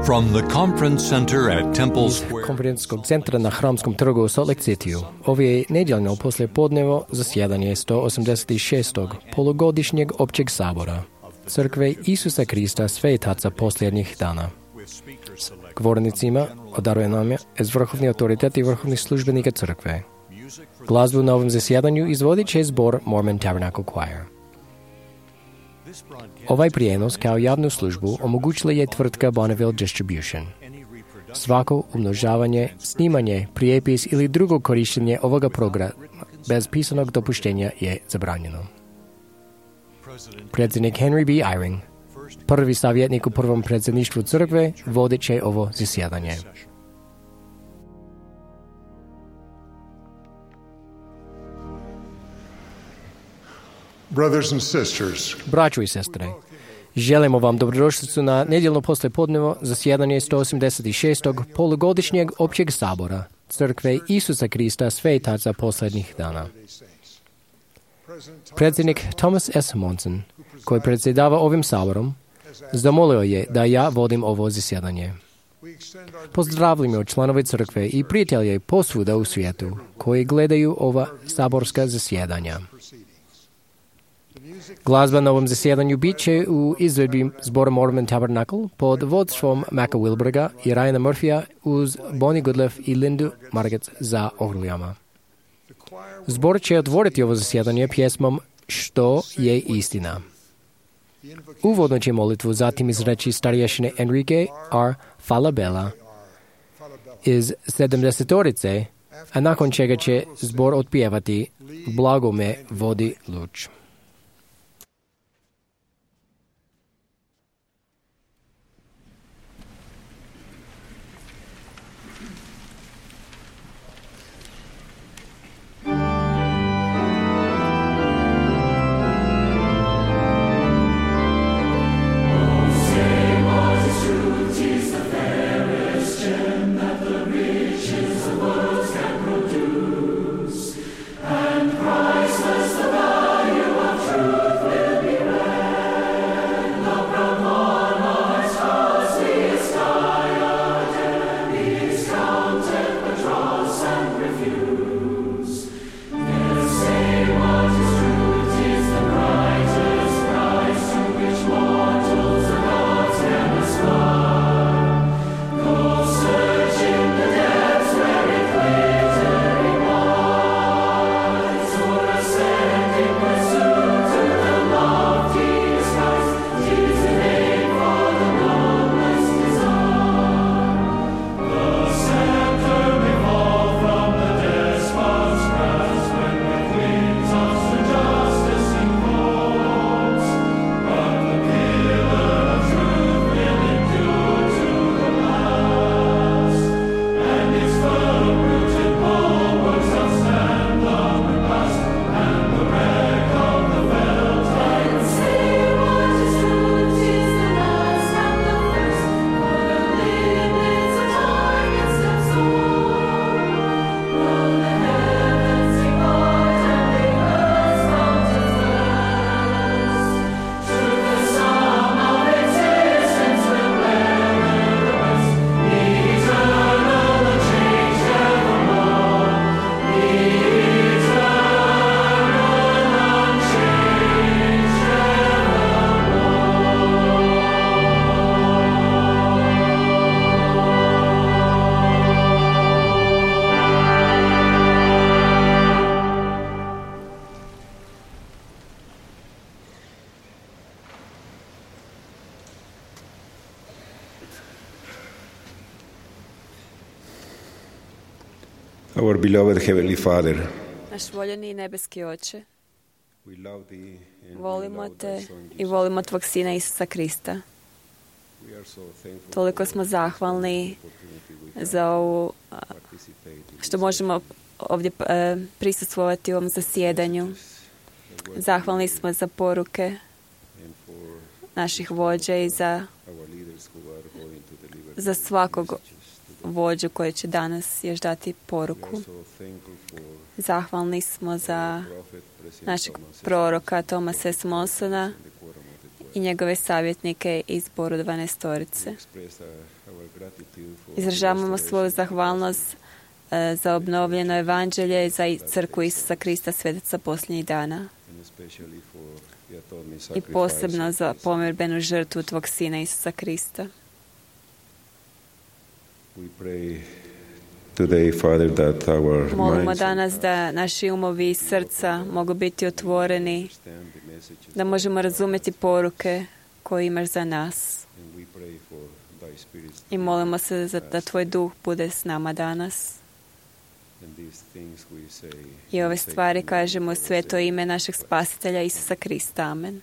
From the conference center at Temple Iz Square. konferencijskog centra na Hramskom trgu u Salt Lake Cityu. Ovo je nedjeljno poslijepodnevo zasjedanje 186. polugodišnjeg općeg sabora Crkve Isusa Krista Svetaca posljednjih dana. Govornicima odaruje nam je vrhovni autoritet i vrhovni službenika crkve. Glazbu na ovom zasjedanju izvodit će zbor Mormon Tabernacle Choir. Ovaj prijenos kao javnu službu omogućila je tvrtka Bonneville Distribution. Svako umnožavanje, snimanje, prijepis ili drugo korištenje ovoga programa bez pisanog dopuštenja je zabranjeno. Predsjednik Henry B. Eyring, prvi savjetnik u prvom predsjedništvu crkve, vodit će ovo zasjedanje. Brothers and sisters, Braćo i sestre, želimo vam dobrodošlicu na nedjeljno poslijepodnevo zasjedanje 186. polugodišnjeg općeg sabora Crkve Isusa Krista Svetaca posljednjih dana. Predsjednik Thomas S. Monson, koji predsjedava ovim saborom, zamolio je da ja vodim ovo zasjedanje. Pozdravljamo članove crkve i prijatelje posvuda u svijetu koji gledaju ova saborska zasjedanja. Glazba na ovom zasjedanju bit će u izvedbi zbora Mormon Tabernacle pod vodstvom Macka Wilberga i Ryana Murphya uz Bonnie Goodleff i Lindu Margetts za orglijama. Zbor će otvoriti ovo zasjedanje pjesmom Što je istina. Uvodno će molitvu zatim izreći starješine Enrique R. Falabella iz 70-orice, a nakon čega će zbor otpjevati Blago me vodi luč. Our beloved Heavenly Father, Naš voljeni nebeski Oče, we love Thee and we volimo love Te Thy Son, i Jesus. volimo Tvog Sina Isusa Krista. We are so thankful Toliko for smo the zahvalni opportunity we have za ovu, to participate in što this možemo ovdje prisustvovati u ovom zasjedanju. the word Zahvalni smo za poruke and for naših vođa i za our leaders who are going to deliver za svakog messages to the vođu koji će danas još dati We poruku. are so thankful for Zahvalni smo za prophet, President našeg Thomas S. proroka Thomasa S. Monsona and the quorum of the i njegove savjetnike iz zboru 12-orice. express Izražavamo svoju zahvalnost za obnovljeno evanđelje i za crkvu Isusa Krista, svetaca posljednjih dana. I posebno za pomirbenu žrtvu tvog Sina Isusa Krista. Molimo danas da naši umovi i srca mogu biti otvoreni, da možemo razumjeti poruke koje imaš za nas. I molimo se da tvoj duh bude s nama danas. I ove stvari kažemo u sveto ime našeg Spasitelja Isusa Krista. Amen.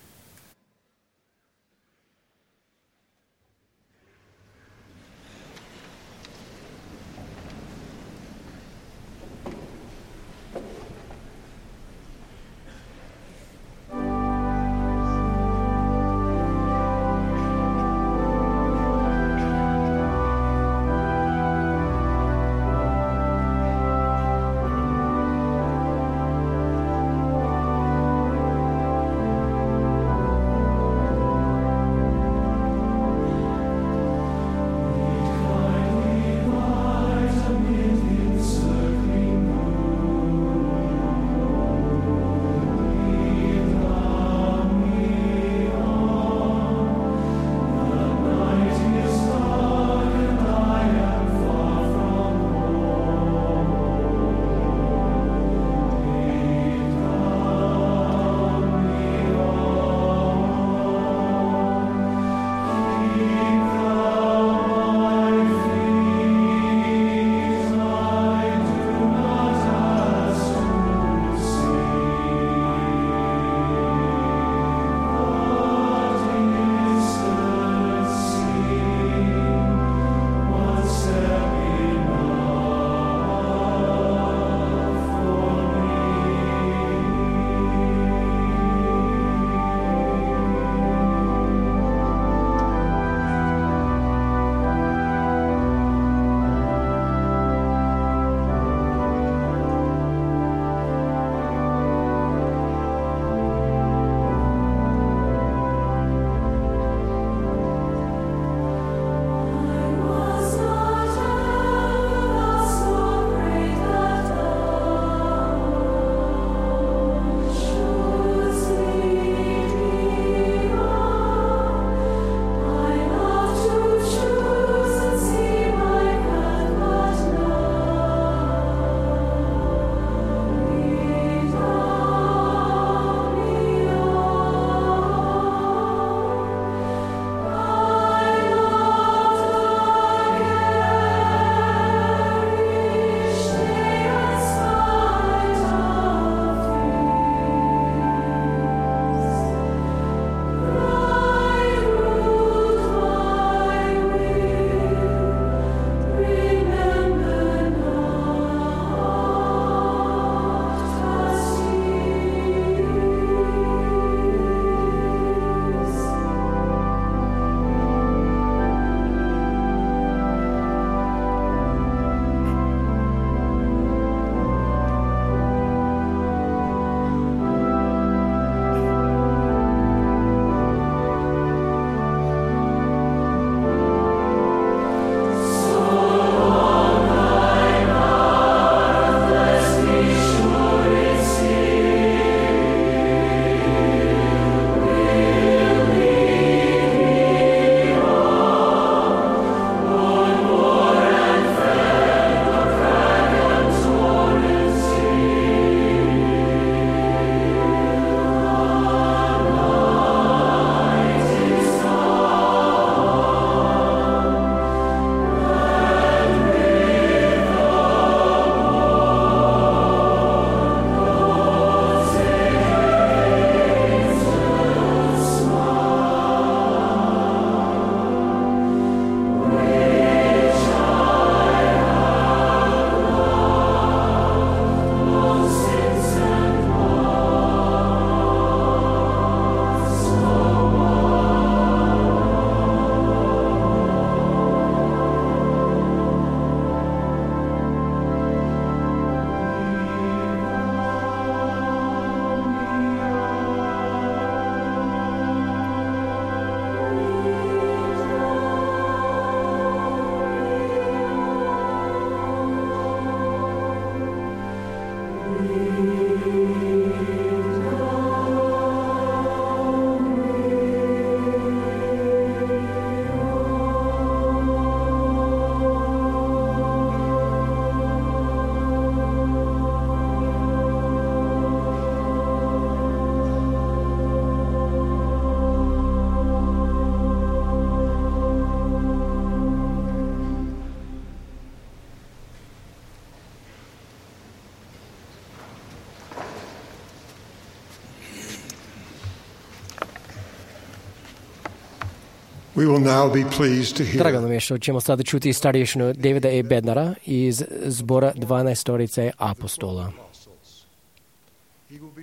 We will now be pleased to hear Drago nam je što ćemo sada čuti starješinu Davida E. Bednara iz zbora 12 apostola.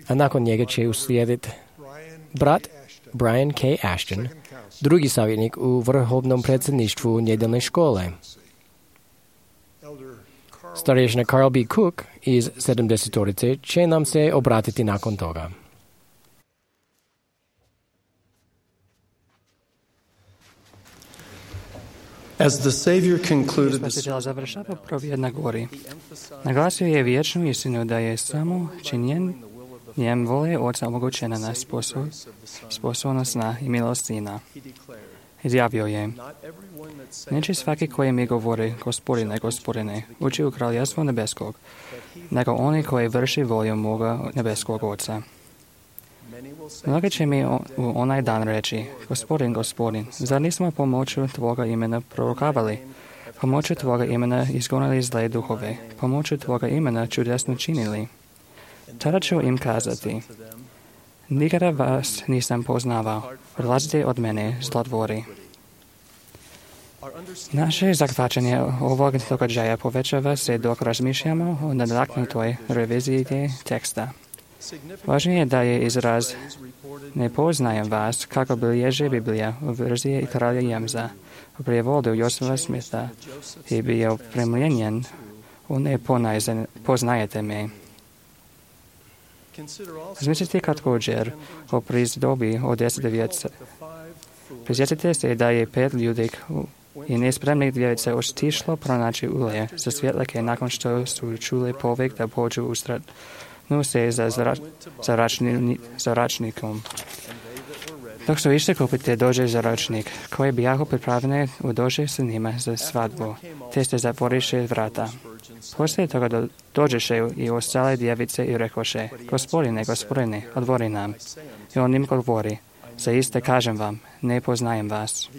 A nakon njega će uslijediti brat Brian K. Ashton, drugi savjetnik u vrhovnom predsjedništvu nedjeljne škole. Starješina Carl B. Cook iz 70 će nam se obratiti nakon toga. As the Savior concluded the Spasitelj završava propovjed na gori. Naglasio je vječnu istinu da je samo činjenjem vole Oca omogućena na sposobnost na i milost Sina. Izjavio je: neće svaki koji mi govori Gospodine, Gospodine, ući u kraljevstvo nebeskog, nego oni koji vrši volju moga nebeskog Oca. Mnogi će mi u onaj dan reći: Gospodin, Gospodin, zar nismo pomoću Tvoga imena prorokavali, pomoću Tvoga imena izgonili zle duhove, pomoću Tvoga imena čudesno činili? Tada ću im kazati: nikada vas nisam poznavao, odlazite od mene, zlotvori. Naše zahvaćanje ovog događaja povećava se dok razmišljamo o nadaknutoj reviziji teksta. Važno je da je izraz ne poznajem vas, kako bilježi Biblija u verziji kralja Jamesa. U prijevodu Josefa Smitha je bio primijenjen u ne poznajete me. Razmislite također o prizdobbi od 10 djevica. Prisjetite se da je 5 ljudi i nespremnih djevica otišlo pronaći ulje za svjetlike nakon što su čuli povik da pođu u se za račnikom. Dok su išli kupiti dođe za račnik, koji bijahu pripravljeni u dođe s njima za svadbu, te ste zatvoriše vrata. Poslije toga dođeše i ostale djevice i rekoše: Gospodine, Gospodine, otvori nam. I on im govori: zaiste kažem vam, ne poznajem vas.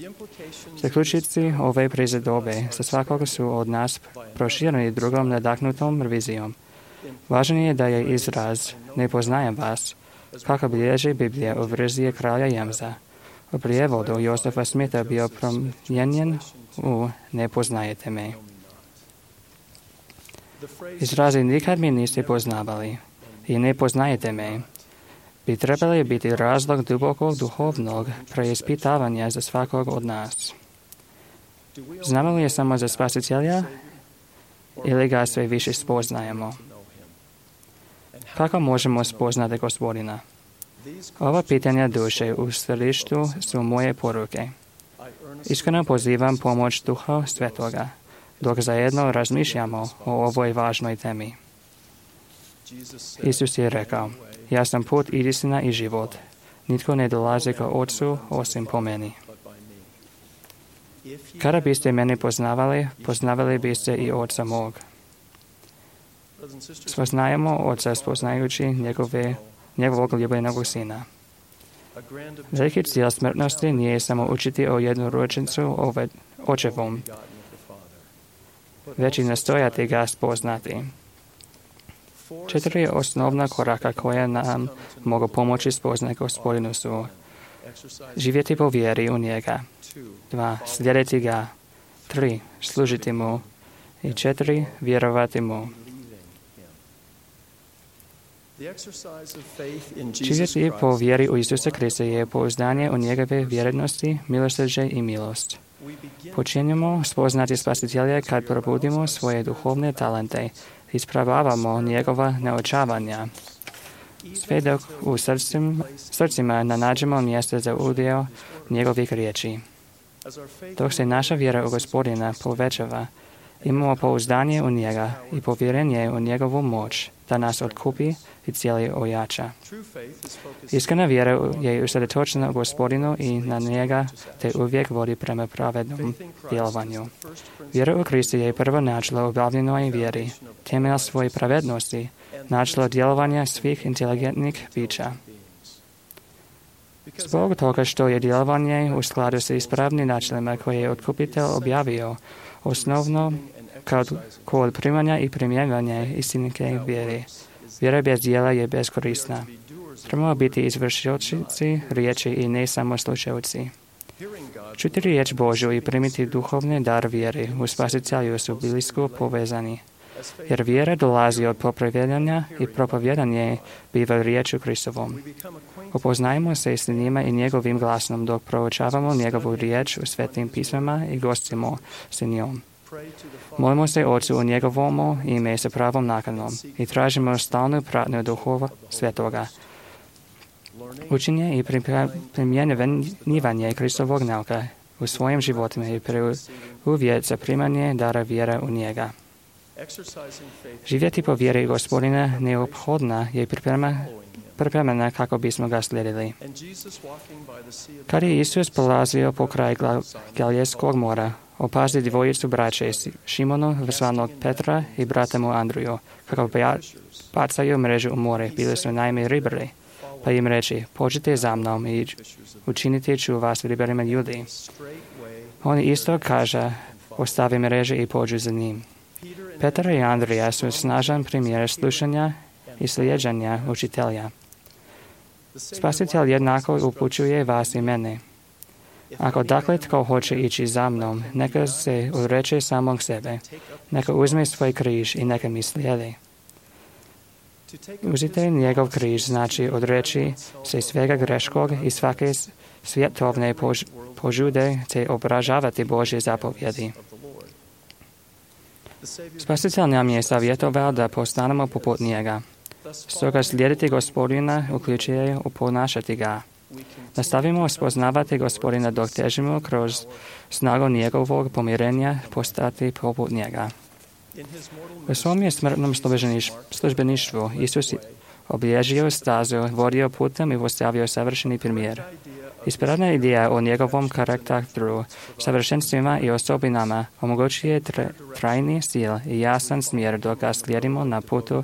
Zaključici ove prizedobe za svakog su od nas prošireni drugom nadahnutom revizijom. Važno je da je izraz ne poznajem vas, kako bilježi Biblija u verziji kralja Jamesa. U prijevodu Josefa Smitha bio promijenjen u ne poznajete me. Izrazi nikad mi niste poznavali i ne poznajete me bi trebali biti razlog dubokog duhovnog preispitavanja za svakog od nas. Znamo li je samo za Spasitelja ili ga sve više spoznajemo? Kako možemo spoznati Gospodina? Ova pitanja duše u središtu su moje poruke. Iskreno pozivam pomoć Duha Svetoga, dok zajedno razmišljamo o ovoj važnoj temi. Isus je rekao: ja sam put, istina i život. Nitko ne dolazi ka Otcu osim po meni. Kada biste mene poznavali, poznavali biste i Otca mog. Spoznajemo Otca spoznajući njegovog ljubljenog Sina. Veliki cilj smrtnosti nije samo učiti o jednorođencu očevom, već i nastojati ga spoznati. 4 osnovna koraka koja nam mogu pomoći spoznati Gospodinu su: živjeti po vjeri u njega, 2. slijediti ga, 3. služiti mu i 4. vjerovati mu. Živjeti po vjeri u Isusa Krista je pouzdanje u njegove vjernosti, milosrđe i milost. Počinjemo spoznati Spasitelja kad probudimo svoje duhovne talente, ispravavamo njegova neočavanja. Sve dok u srcima nađemo mjesto za udio njegovih riječi. Dok se naša vjera u Gospodina povećava, Imamo pouzdanje u njega i povjerenje u njegovu moć da nas otkupi i cijeli ojača. Iskrena vjera je usredotočena u Gospodinu i na njega te uvijek vodi prema pravednom djelovanju. Vjera u Krista je prvo načelo obavljenoj vjeri, temelj svoje pravednosti, načelo djelovanja svih inteligentnih bića. Zbog toga što je djelovanje u skladu sa ispravnim načelima koje je otkupitelj objavio, osnovno kod primanja i primjenjivanja istinske vjere. Vjera bez djela je beskorisna. Trebamo biti izvršioci riječi i ne samo slušalci. Čuti riječ Božju i primiti duhovni dar vjere u Spasitelju su blisko povezani. Jer vjera dolazi od popravljanja i propovjedanje biva riječu Kristovom. Upoznajmo se s njima i njegovim glasom dok proučavamo njegovu riječ u svetim pismama i gostimo s njom. Molimo se Otcu u njegovom ime sa pravom nakanom i tražimo stalnu pratnju Duhova Svetoga. Učenje i primjenjivanje Kristovog nauka u svojim životima i uvjet za primanje dara vjere u njega. Živjeti po vjeri Gospodina neophodna je pripremena kako bismo ga slijedili. Kad je Isus polazio po kraj Galilejskog mora, opazi dvojicu braće, Šimonu, zvanog Petra, i brata mu Andruju, kako bacaju mrežu u more, bili su naime ribari. Pa im reči, pođite za mnom i učinite ću vas ribarima ljudi. On isto kaže, ostavi mreže i pođu za njim. Petar i Andrija su snažan primjer slušanja i slijeđanja učitelja. Spasitelj jednako upućuje vas i mene. Ako dakle tko hoće ići za mnom, neka se odreče samog sebe, neka uzme svoj križ i neka mi slijedi. Uzite njegov križ znači odreći se svega greškog i svake svjetovne požude te obražavati Božje zapovjedi. Spasitelj nam je savjetovao da postanemo poput njega. Stoga slijediti Gospodina uključuje uponašati ga. Nastavimo spoznavati Gospodina dok težimo kroz snagu njegovog pomirenja postati poput njega. U svom je smrtnom službeništvu Isus obilježio stazu, vodio putem i postavio savršeni primjer. Ispravna ideja o njegovom karakteru, savršenstvima i osobinama omogućuje trajni stil i jasan smjer dok ga slijedimo na putu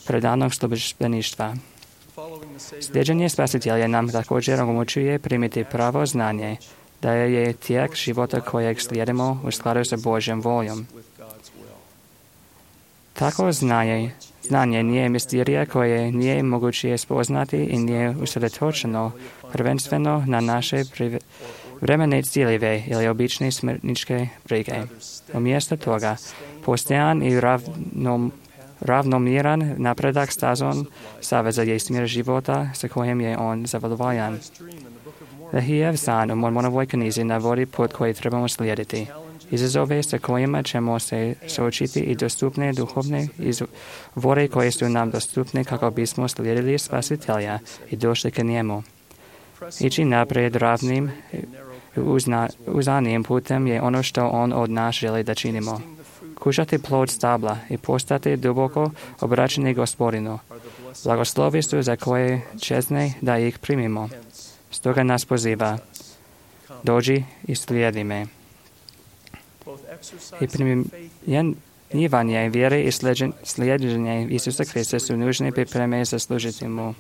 predanog službeništva. Slijeđenje Spasitelja nam također omogućuje primiti pravo znanje, da je tijek života kojeg slijedimo u skladu sa Božjom voljom. Tako znanje nije misterija koje nije moguće spoznati i nije usredotočeno prvenstveno na naše vremene ciljeve ili obične smrtničke brige. Umjesto toga, postojan i ravnomjeran napredak stazom saveza je smjer života sa kojim je on zadovoljan. Lehijev san u Mormonovoj knjizi navodi put koji trebamo slijediti. Izazove sa kojima ćemo se suočiti i dostupne duhovne izvore koje su nam dostupne kako bismo slijedili Spasitelja i došli k njemu. Ići naprijed ravnim uzanim putem je ono što on od nas želi da činimo. Kušati plod stabla i postati duboko obraćeni Gospodinu. Blagoslovi su za koje česne da ih primimo. Stoga nas poziva, dođi i slijedi me. I primjenjivanje vjere i slijeđenje Isusa Krista su nužne pripreme za služiti mu.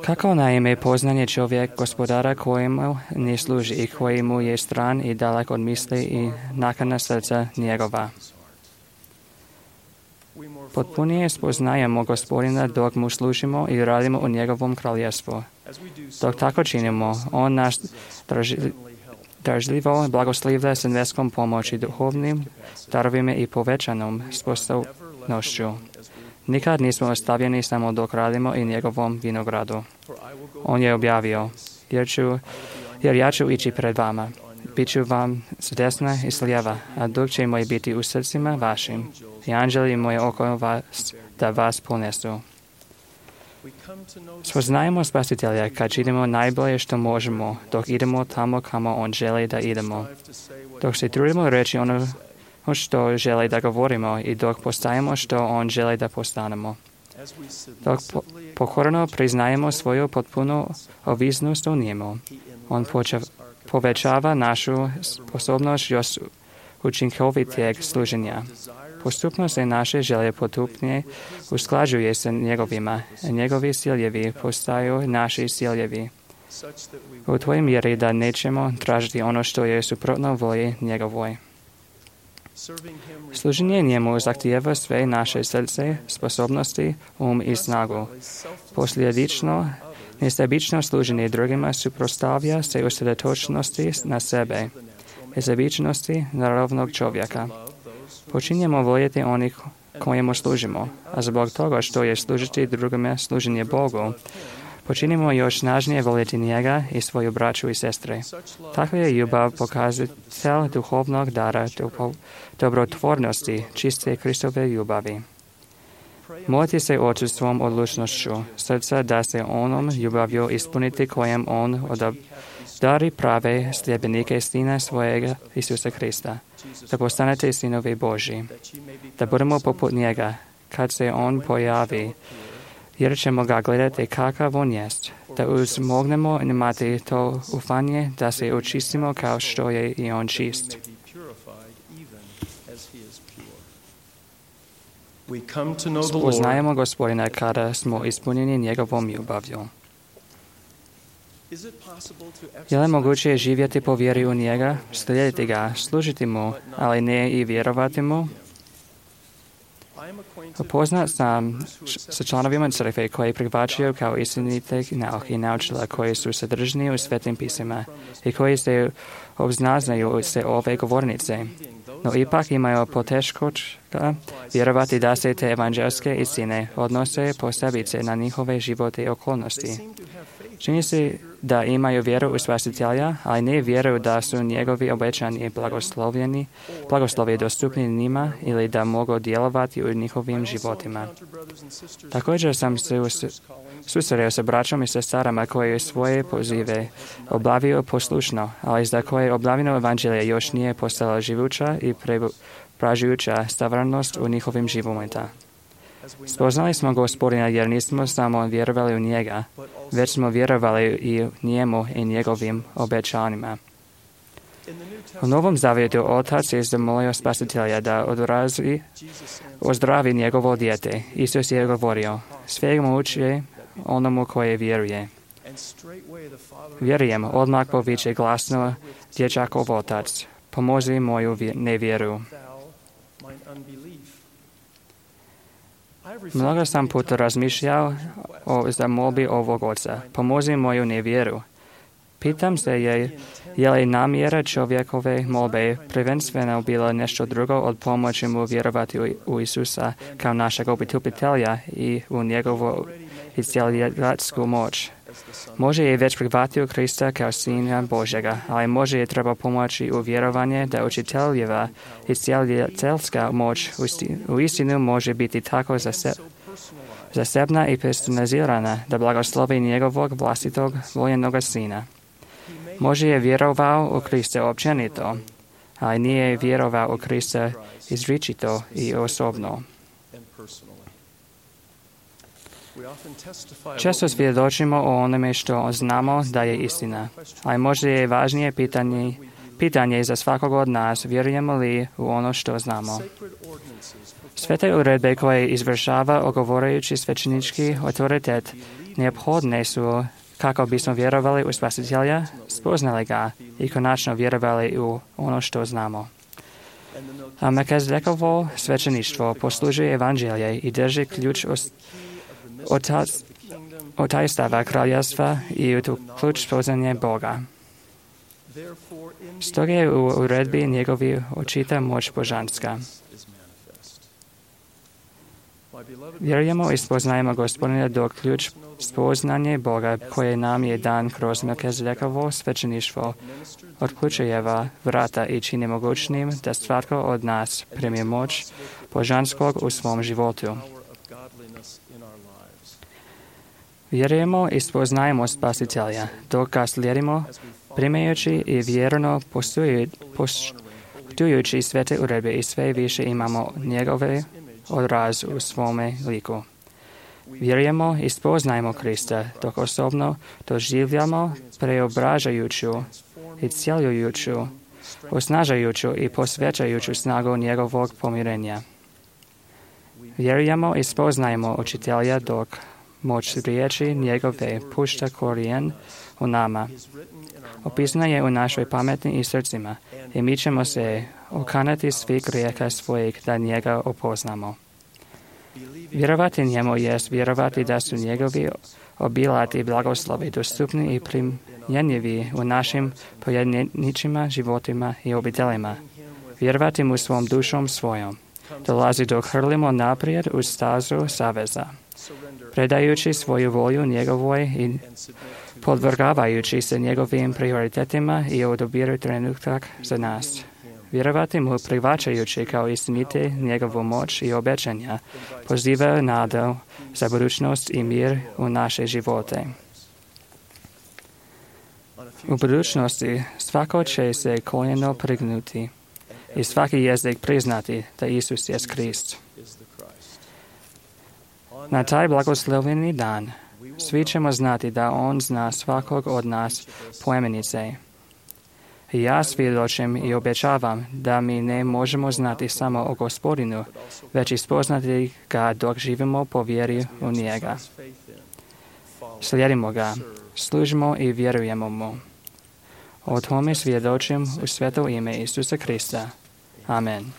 Kako naime poznanje čovjek gospodara kojemu ne služi i koji mu je stran i dalek od misli i nakana srca njegova. Potpunije spoznajemo Gospodina dok mu služimo i radimo u njegovom kraljevstvu. Dok tako činimo, on naš držljivo blagoslivlja s nebeskom pomoći, duhovnim darovima i povećanom sposobnošću. Nikad nismo ostavljeni samo dok radimo i njegovom vinogradu. On je objavio, jer ja ću ići pred vama. Biću vam s desna i s lijeva, a duh će moj biti u srcima vašim i anđeli moje oko vas da vas ponesu. Spoznajemo Spasitelja kad činimo najbolje što možemo, dok idemo tamo kamo On želi da idemo. Dok se trudimo reći ono što želi da govorimo i dok postajemo što On želi da postanemo. Dok pokorno priznajemo svoju potpunu ovisnost o njemu, On povećava našu sposobnost još učinkovitijeg služenja. Postupno se naše želje potupnije usklađuje sa njegovima, a njegovi ciljevi postaju naši ciljevi. U toj mjeri da nećemo tražiti ono što je suprotno volji njegovoj. Služenje njemu zahtijeva sve naše srce, sposobnosti, i snagu. Posljedično, nesebično služenje drugima suprotstavlja se usredotočenosti na sebe, nesebičnosti naravnog čovjeka. Počinjemo voljeti onih kojemu služimo, a zbog toga što je služiti drugima služenje Bogu, počinimo još snažnije voljeti njega i svoju braću i sestre. Takva je ljubav pokazatelj duhovnog dara dobrotvornosti, čiste Kristove ljubavi. Molite se Ocu svom odlučnošću srca da se onom ljubavlju ispuniti kojem On odabari prave sljedbenike Sina svojega Isusa Krista, da postanete sinovi Božji, da budemo poput njega kad se On pojavi, jer ćemo ga gledati kakav On jest, da uzmognemo imati to ufanje da se očistimo kao što je i On čist. Spoznajemo Gospodina kada smo ispunjeni njegovom ljubavlju. Je li moguće živjeti po vjeri u njega, slijediti ga, služiti mu, ali ne i vjerovati mu? Upoznat sam sa članovima crkve koji prihvaćaju kao istinite nauke i naučila koji su sadržani u svetim pisima i koji se obznaznaju se ove govornice, no ipak imaju poteškoća vjerovati da se te evanđelske istine odnose posebice na njihove živote i okolnosti. Čini se da imaju vjeru u Spasitelja, ali ne vjeruju da su njegovi obećani blagoslovi dostupni njima ili da mogu djelovati u njihovim životima. Također sam se susreo sa braćom i sestrama koji svoje pozive obavio poslušno, ali za koje obavljeno evanđelje još nije postala živuća i pražujuća stvarnost u njihovim životima. Spoznali smo Gospodina jer nismo samo vjerovali u njega, već smo vjerovali i njemu i njegovim obećanjima. U Novom Zavjetu Otac je zamolio Spasitelja da ozdravi njegovo dijete. Isus je govorio, sve moguće onomu koje vjeruje. Vjerujem, odmah poviče glasno dječakov otac, pomozi moju nevjeru. Mnogo sam puta razmišljao o zamolbi ovog oca, pomozi moju nevjeru. Pitam se je li namjera čovjekove molbe prvenstveno bila nešto drugo od pomoći mu vjerovati u Isusa kao našeg obitupitelja i u njegovu iscjeljačku moć. Može je već prihvatio Krista kao Sina Božjega, ali može je treba pomoći u vjerovanje da učiteljeva iscjeljateljska moć u istinu može biti tako zasebna i personalizirana da blagoslovi njegovog vlastitog voljenog Sina. Može je vjerovao u Krista općenito, ali nije vjerovao u Krista izričito i osobno. Često svjedočimo o onome što znamo da je istina, ali možda je važnije pitanje za svakog od nas, vjerujemo li u ono što znamo. Sve te uredbe koje izvršava ogovarajući svećenički autoritet neophodne su kako bismo vjerovali u Spasitelja, spoznali ga i konačno vjerovali u ono što znamo. A Melkizedekovo svećeništvo poslužuje evanđelje i drži ključ od tajstava kraljevstva i u tu ključ poznanje Boga. Stoga je u uredbi njegovi očita moć božanska. Vjerujemo i spoznajemo Gospodina dok ključ spoznanje Boga koje nam je dan kroz Melkizedekovo svećeništvo otključujeva vrata i čini mogućnim da svatko od nas primi moć božanskog u svom životu. Vjerujemo i spoznajemo Spasitelja, dok ga slijedimo, primajući i vjerno poštujući svete uredbe i sve više imamo njegove odraz u svome liku. Vjerujemo i spoznajemo Krista, dok osobno doživljamo preobražajuću i cjeljujuću, osnažajuću i posvećajuću snagu njegovog pomirenja. Vjerujemo i spoznajemo učitelja, dok moć riječi njegove pušta korijen u nama. Opisana je u našoj pameti i srcima i mi ćemo se okanati svih grijeha svojih da njega opoznamo. Vjerovati njemu jest vjerovati da su njegovi obilati blagoslovi dostupni i primjenjivi u našim pojedinačnim životima i obiteljima. Vjerovati mu svom dušom svojom. Dolazi dok hrlimo naprijed u stazu saveza. Predajući svoju volju njegovoj i podvrgavajući se njegovim prioritetima i odabiru trenutak za nas. Vjerovati mu prihvaćajući kao istinite njegovu moć i obećanja, poziva nadu za budućnost i mir u naše živote. U budućnosti svako će se koljeno prignuti i svaki jezik priznati da Isus je Krist. Na taj blagosloveni dan svi ćemo znati da On zna svakog od nas poimenice. Ja svjedočim i obećavam da mi ne možemo znati samo o Gospodinu, već i spoznati ga dok živimo po vjeri u njega. Slijedimo ga, služimo i vjerujemo mu. O tome svjedočim u sveto ime Isusa Krista. Amen.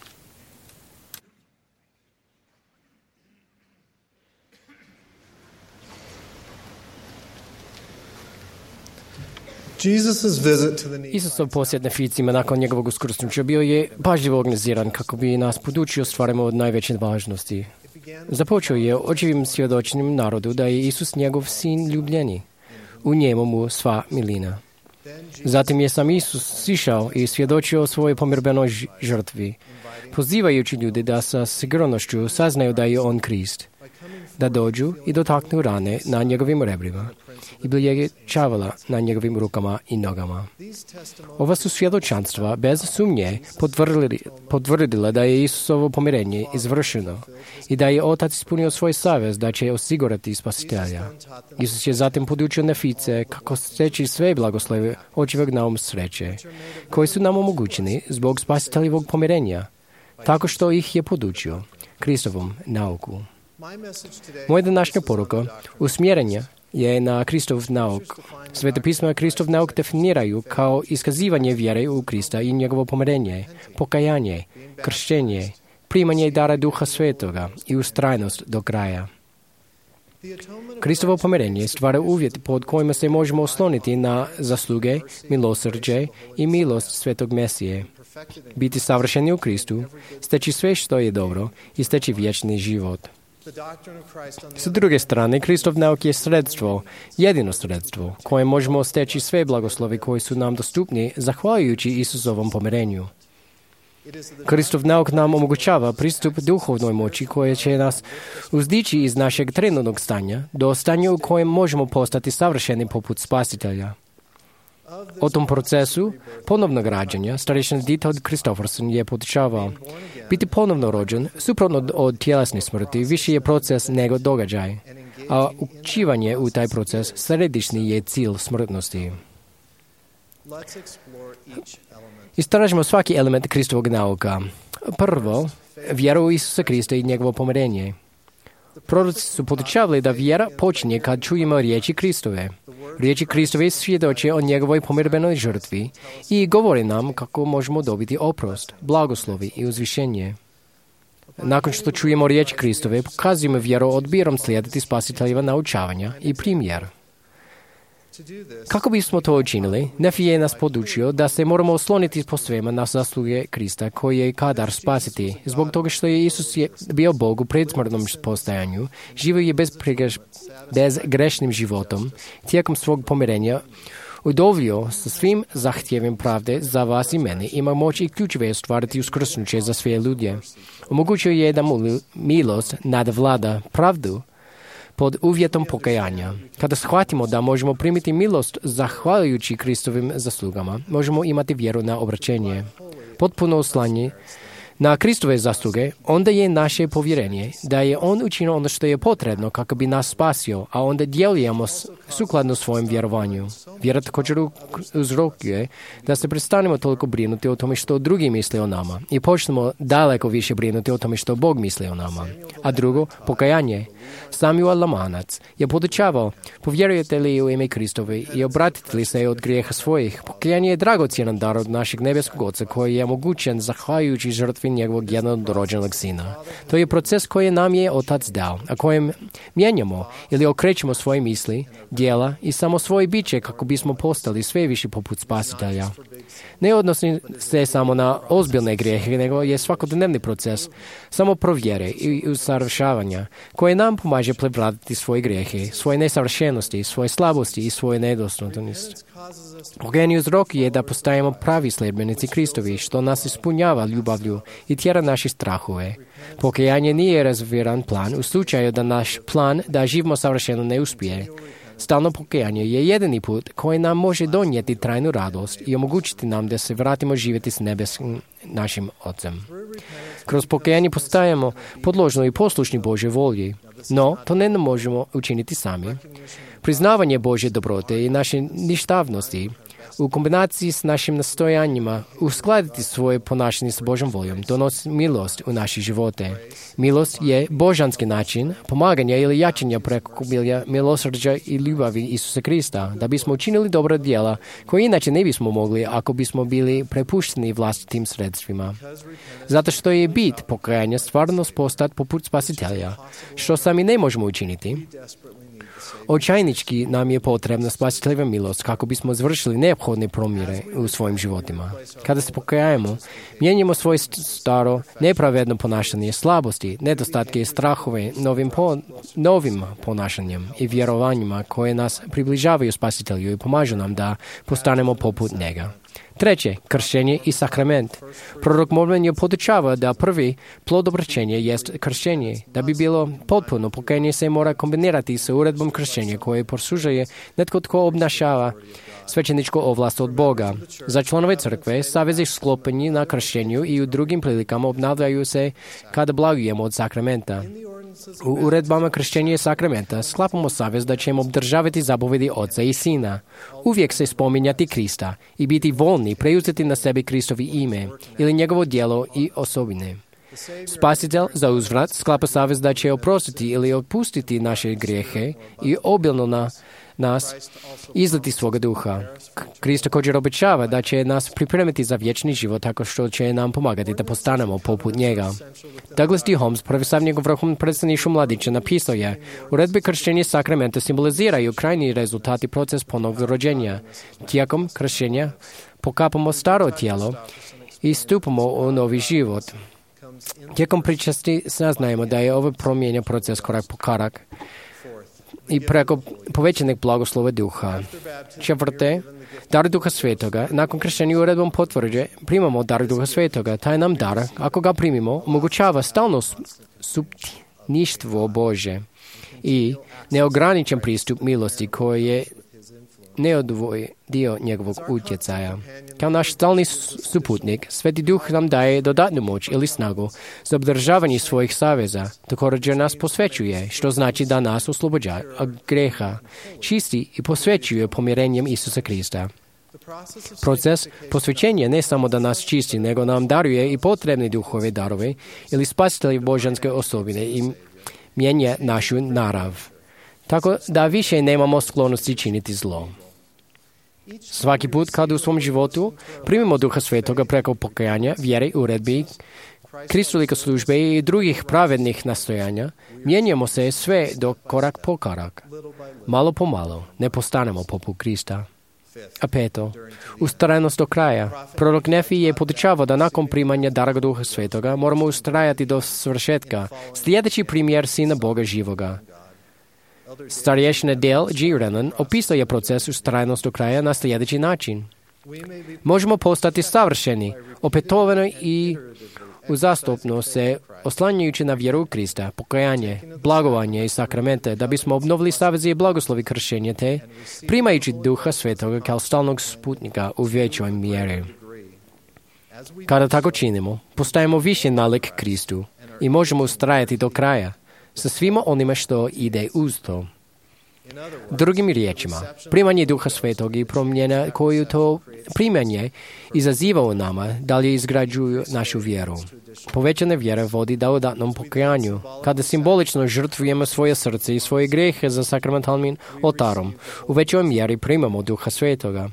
Isusov posjet Neficima nakon njegovog uskrsnuća bio je pažljivo organiziran kako bi nas podučio stvarima od najveće važnosti. Započeo je očivim svjedočenjem narodu da je Isus njegov sin ljubljeni. U njemu mu sva milina. Zatim je sam Isus sišao i svjedočio o svojoj pomirbenoj žrtvi, pozivajući ljude da sa sigurnošću saznaju da je on Krist, da dođu i dotaknu rane na njegovim rebrima i bilježe čavala na njegovim rukama i nogama. Ova su svjedočanstva bez sumnje potvrdila da je Isusovo pomirenje izvršeno i da je Otac ispunio svoj savez da će osigurati Spasitelja. Isus je zatim podučio Nefice kako steći sve blagoslove očivog naum sreće, koji su nam omogućeni zbog Spasiteljevog pomirenja, tako što ih je podučio Kristovom nauku. Moja današnja poruka usmjerenja je na Kristov nauk. Svete pisma Kristov nauk definiraju kao iskazivanje vjere u Krista i njegovo pomirenje, pokajanje, kršćenje, primanje dara Duha Svetoga i ustrajnost do kraja. Kristovo pomirenje stvara uvjet pod kojima se možemo osloniti na zasluge, milosrđe i milost Svetog Mesije. Biti savršeni u Kristu, steći sve što je dobro i steći vječni život. S druge strane, Kristov nauk je sredstvo, jedino sredstvo, koje možemo steći sve blagoslovi koji su nam dostupni zahvaljujući Isusovom pomirenju. Kristov nauk nam omogućava pristup duhovnoj moći koja će nas uzdići iz našeg trenutnog stanja do stanja u kojem možemo postati savršeni poput Spasitelja. O tom procesu ponovnog rađanja starešina Dieter Christofferson je podučavao. Biti ponovno rođen, suprotno od tjelesne smrti, više je proces nego događaj, a uključivanje u taj proces središnji je cilj smrtnosti. Istražimo svaki element Kristovog nauka. Prvo, vjeru u Isusa Krista i njegovo pomirenje. Proroci su podučavali da vjera počinje kad čujemo riječi Kristove. Riječi Kristove svjedoče o njegovoj pomirbenoj žrtvi i govori nam kako možemo dobiti oprost, blagoslovi i uzvišenje. Nakon što čujemo riječi Kristove, pokazujemo vjeru odbirom slijediti Spasiteljeva naučavanja i primjer. Kako bismo to učinili, Nefi je nas podučio da se moramo osloniti po svema na zasluge Krista koji je kadar spasiti. Zbog toga što je Isus bio Bog u predsmrtnom postajanju, živio je bezgrešnim životom, tijekom svog pomirenja udovoljio sa svim zahtjevima pravde za vas i mene, ima moć i ključeve ostvariti uskrsnuće za sve ljude. Omogućio je da mu milost nadvlada pravdu, pod uvjetom pokajanja. Kada shvatimo da možemo primiti milost zahvaljujući Kristovim zaslugama, možemo imati vjeru na obraćenje. Potpuno oslanje na Kristove zasluge, onda je naše povjerenje da je On učinio ono što je potrebno kako bi nas spasio, a onda djelujemo sukladno svojem vjerovanju. Vjera također uzrokuje da se prestanemo toliko brinuti o tome što drugi misle o nama i počnemo daleko više brinuti o tome što Bog misli o nama. A drugo, pokajanje. Samuel Lamanac je podučavao, povjerujete li u ime Kristove i obratite li se od grijeha svojih. Pokajanje je dragocjenan dar od našeg nebeskog Oca koji je omogućen zahvaljujući žrtvi njegovog jednorođenog sina. To je proces koji nam je Otac dao, a kojem mijenjamo ili okrećemo svoje misli, djela i samo svoje biće kako bismo postali sve više poput Spasitelja. Ne odnosi se samo na ozbiljne grijehe, nego je svakodnevni proces samo provjere i usavršavanja koje nam pomaže prevladati svoje grijehe, svoje nesavršenosti, svoje slabosti i svoje nedostupnosti. Pokajanje uzrok je da postajemo pravi sljedbenici Kristovi, što nas ispunjava ljubavlju i tjera naše strahove. Pokajanje nije rezerviran plan u slučaju da naš plan da živimo savršeno ne uspije. Stalno pokajanje je jedini put koji nam može donijeti trajnu radost i omogućiti nam da se vratimo živjeti s nebeskim našim Ocem. Kroz pokajanje postajemo podložni i poslušni Božje volji, no to ne možemo učiniti sami. Priznavanje Božje dobrote i naše ništavnosti u kombinaciji s našim nastojanjima uskladiti svoje ponašanje s Božjom voljom donosi milost u naše živote. Milost je božanski način pomaganja ili jačanja preko milosrđa i ljubavi Isusa Krista, da bismo učinili dobra djela koje inače ne bismo mogli ako bismo bili prepušteni vlastitim sredstvima. Zato što je bit pokajanja stvarno postati poput Spasitelja, što sami ne možemo učiniti. Očajnički nam je potrebna spasiteljeva milost kako bismo završili neophodne promjene u svojim životima. Kada se pokajamo, mijenjamo svoje staro, nepravedno ponašanje, slabosti, nedostatke i strahove novim ponašanjem i vjerovanjima koje nas približavaju spasitelju i pomažu nam da postanemo poput njega. Treće, kršćenje i sakrament. Prorok Mormon je podučava da prvi plod obraćenja jest kršćenje. Da bi bilo potpuno, pokajanje se mora kombinirati sa uredbom kršćenja koje posužuje netko tko obnašava svećeničku ovlast od Boga. Za članove crkve, savezi sklopeni na kršćenju i u drugim prilikama obnavljaju se kada blagujemo od sakramenta. U uredbama kršćenja i sakramenta sklapamo savez da ćemo obdržavati zapovedi Oca i Sina, uvijek se spominjati Krista i biti voljni preuzeti na sebi Kristovi ime ili njegovo djelo i osobine. Spasitelj za uzvrat sklapa savez da će oprostiti ili otpustiti naše grijehe i obilno na nas izliti svoga duha. Krist također obećava da će nas pripremiti za vječni život tako što će nam pomagati da postanemo poput njega. Douglas D. Holmes, profesor njegov vrhovnom predstavništvu mladića, napisao je: uredbe kršćenja i sakramenta simboliziraju krajnji rezultat i proces ponovnog rođenja. Tijekom kršćenja pokapamo staro tijelo i stupamo u novi život. Tijekom pričasti saznajemo da je ovo promijenjen proces korak po korak i preko povećanog blagoslova duha. Četvrte, dar Duha Svetoga. Nakon kršćenja uredbom potvrđe primamo dar Duha Svetoga. Taj nam dar, ako ga primimo, omogućava stalno supništvo Bože i neograničen pristup milosti koji je neodvoji dio njegovog utjecaja. Kao naš stalni suputnik, Sveti Duh nam daje dodatnu moć ili snagu za obdržavanje svojih saveza. Također nas posvećuje, što znači da nas oslobođa od greha, čisti i posvećuje pomirenjem Isusa Krista. Proces posvećenja ne samo da nas čisti, nego nam daruje i potrebne duhove darove ili spasitelje božanske osobine i mijenja našu narav, tako da više nemamo sklonosti činiti zlo. Svaki put kada u svom životu primimo Duha Svetoga preko pokajanja, vjere, uredbi, kristolike službe i drugih pravednih nastojanja, mijenjamo se sve do korak po korak. Malo po malo ne postanemo poput Krista. A peto, ustrajnost do kraja. Prorok Nefi je podučavao da nakon primanja dara Duha Svetoga moramo ustrajati do svršetka, sljedeći primjer Sina Boga živoga. Starješina Dale G. Rennan opisao je proces ustrajnost do kraja na sljedeći način. Možemo postati savršeni, opetovano i Uzastopno se oslanjajući na vjeru u Krista, pokajanje, blagovanje i sakramente, da bismo obnovili saveze i blagoslovi kršenja te, primajući Duha Svetoga kao stalnog sputnika u većoj mjeri. Kada tako činimo, postajemo više nalik Kristu i možemo ustrajati do kraja sa svima onima što ide uz to. Drugim riječima, primanje Duha Svetog i promjena koju to primanje izaziva u nama, dalje izgrađuju našu vjeru. Povećana vjera vodi dodatnom pokajanju, kada simbolično žrtvujemo svoje srce i svoje grijehe za sakramentalnim oltarom. U većoj mjeri primamo Duha Svetoga.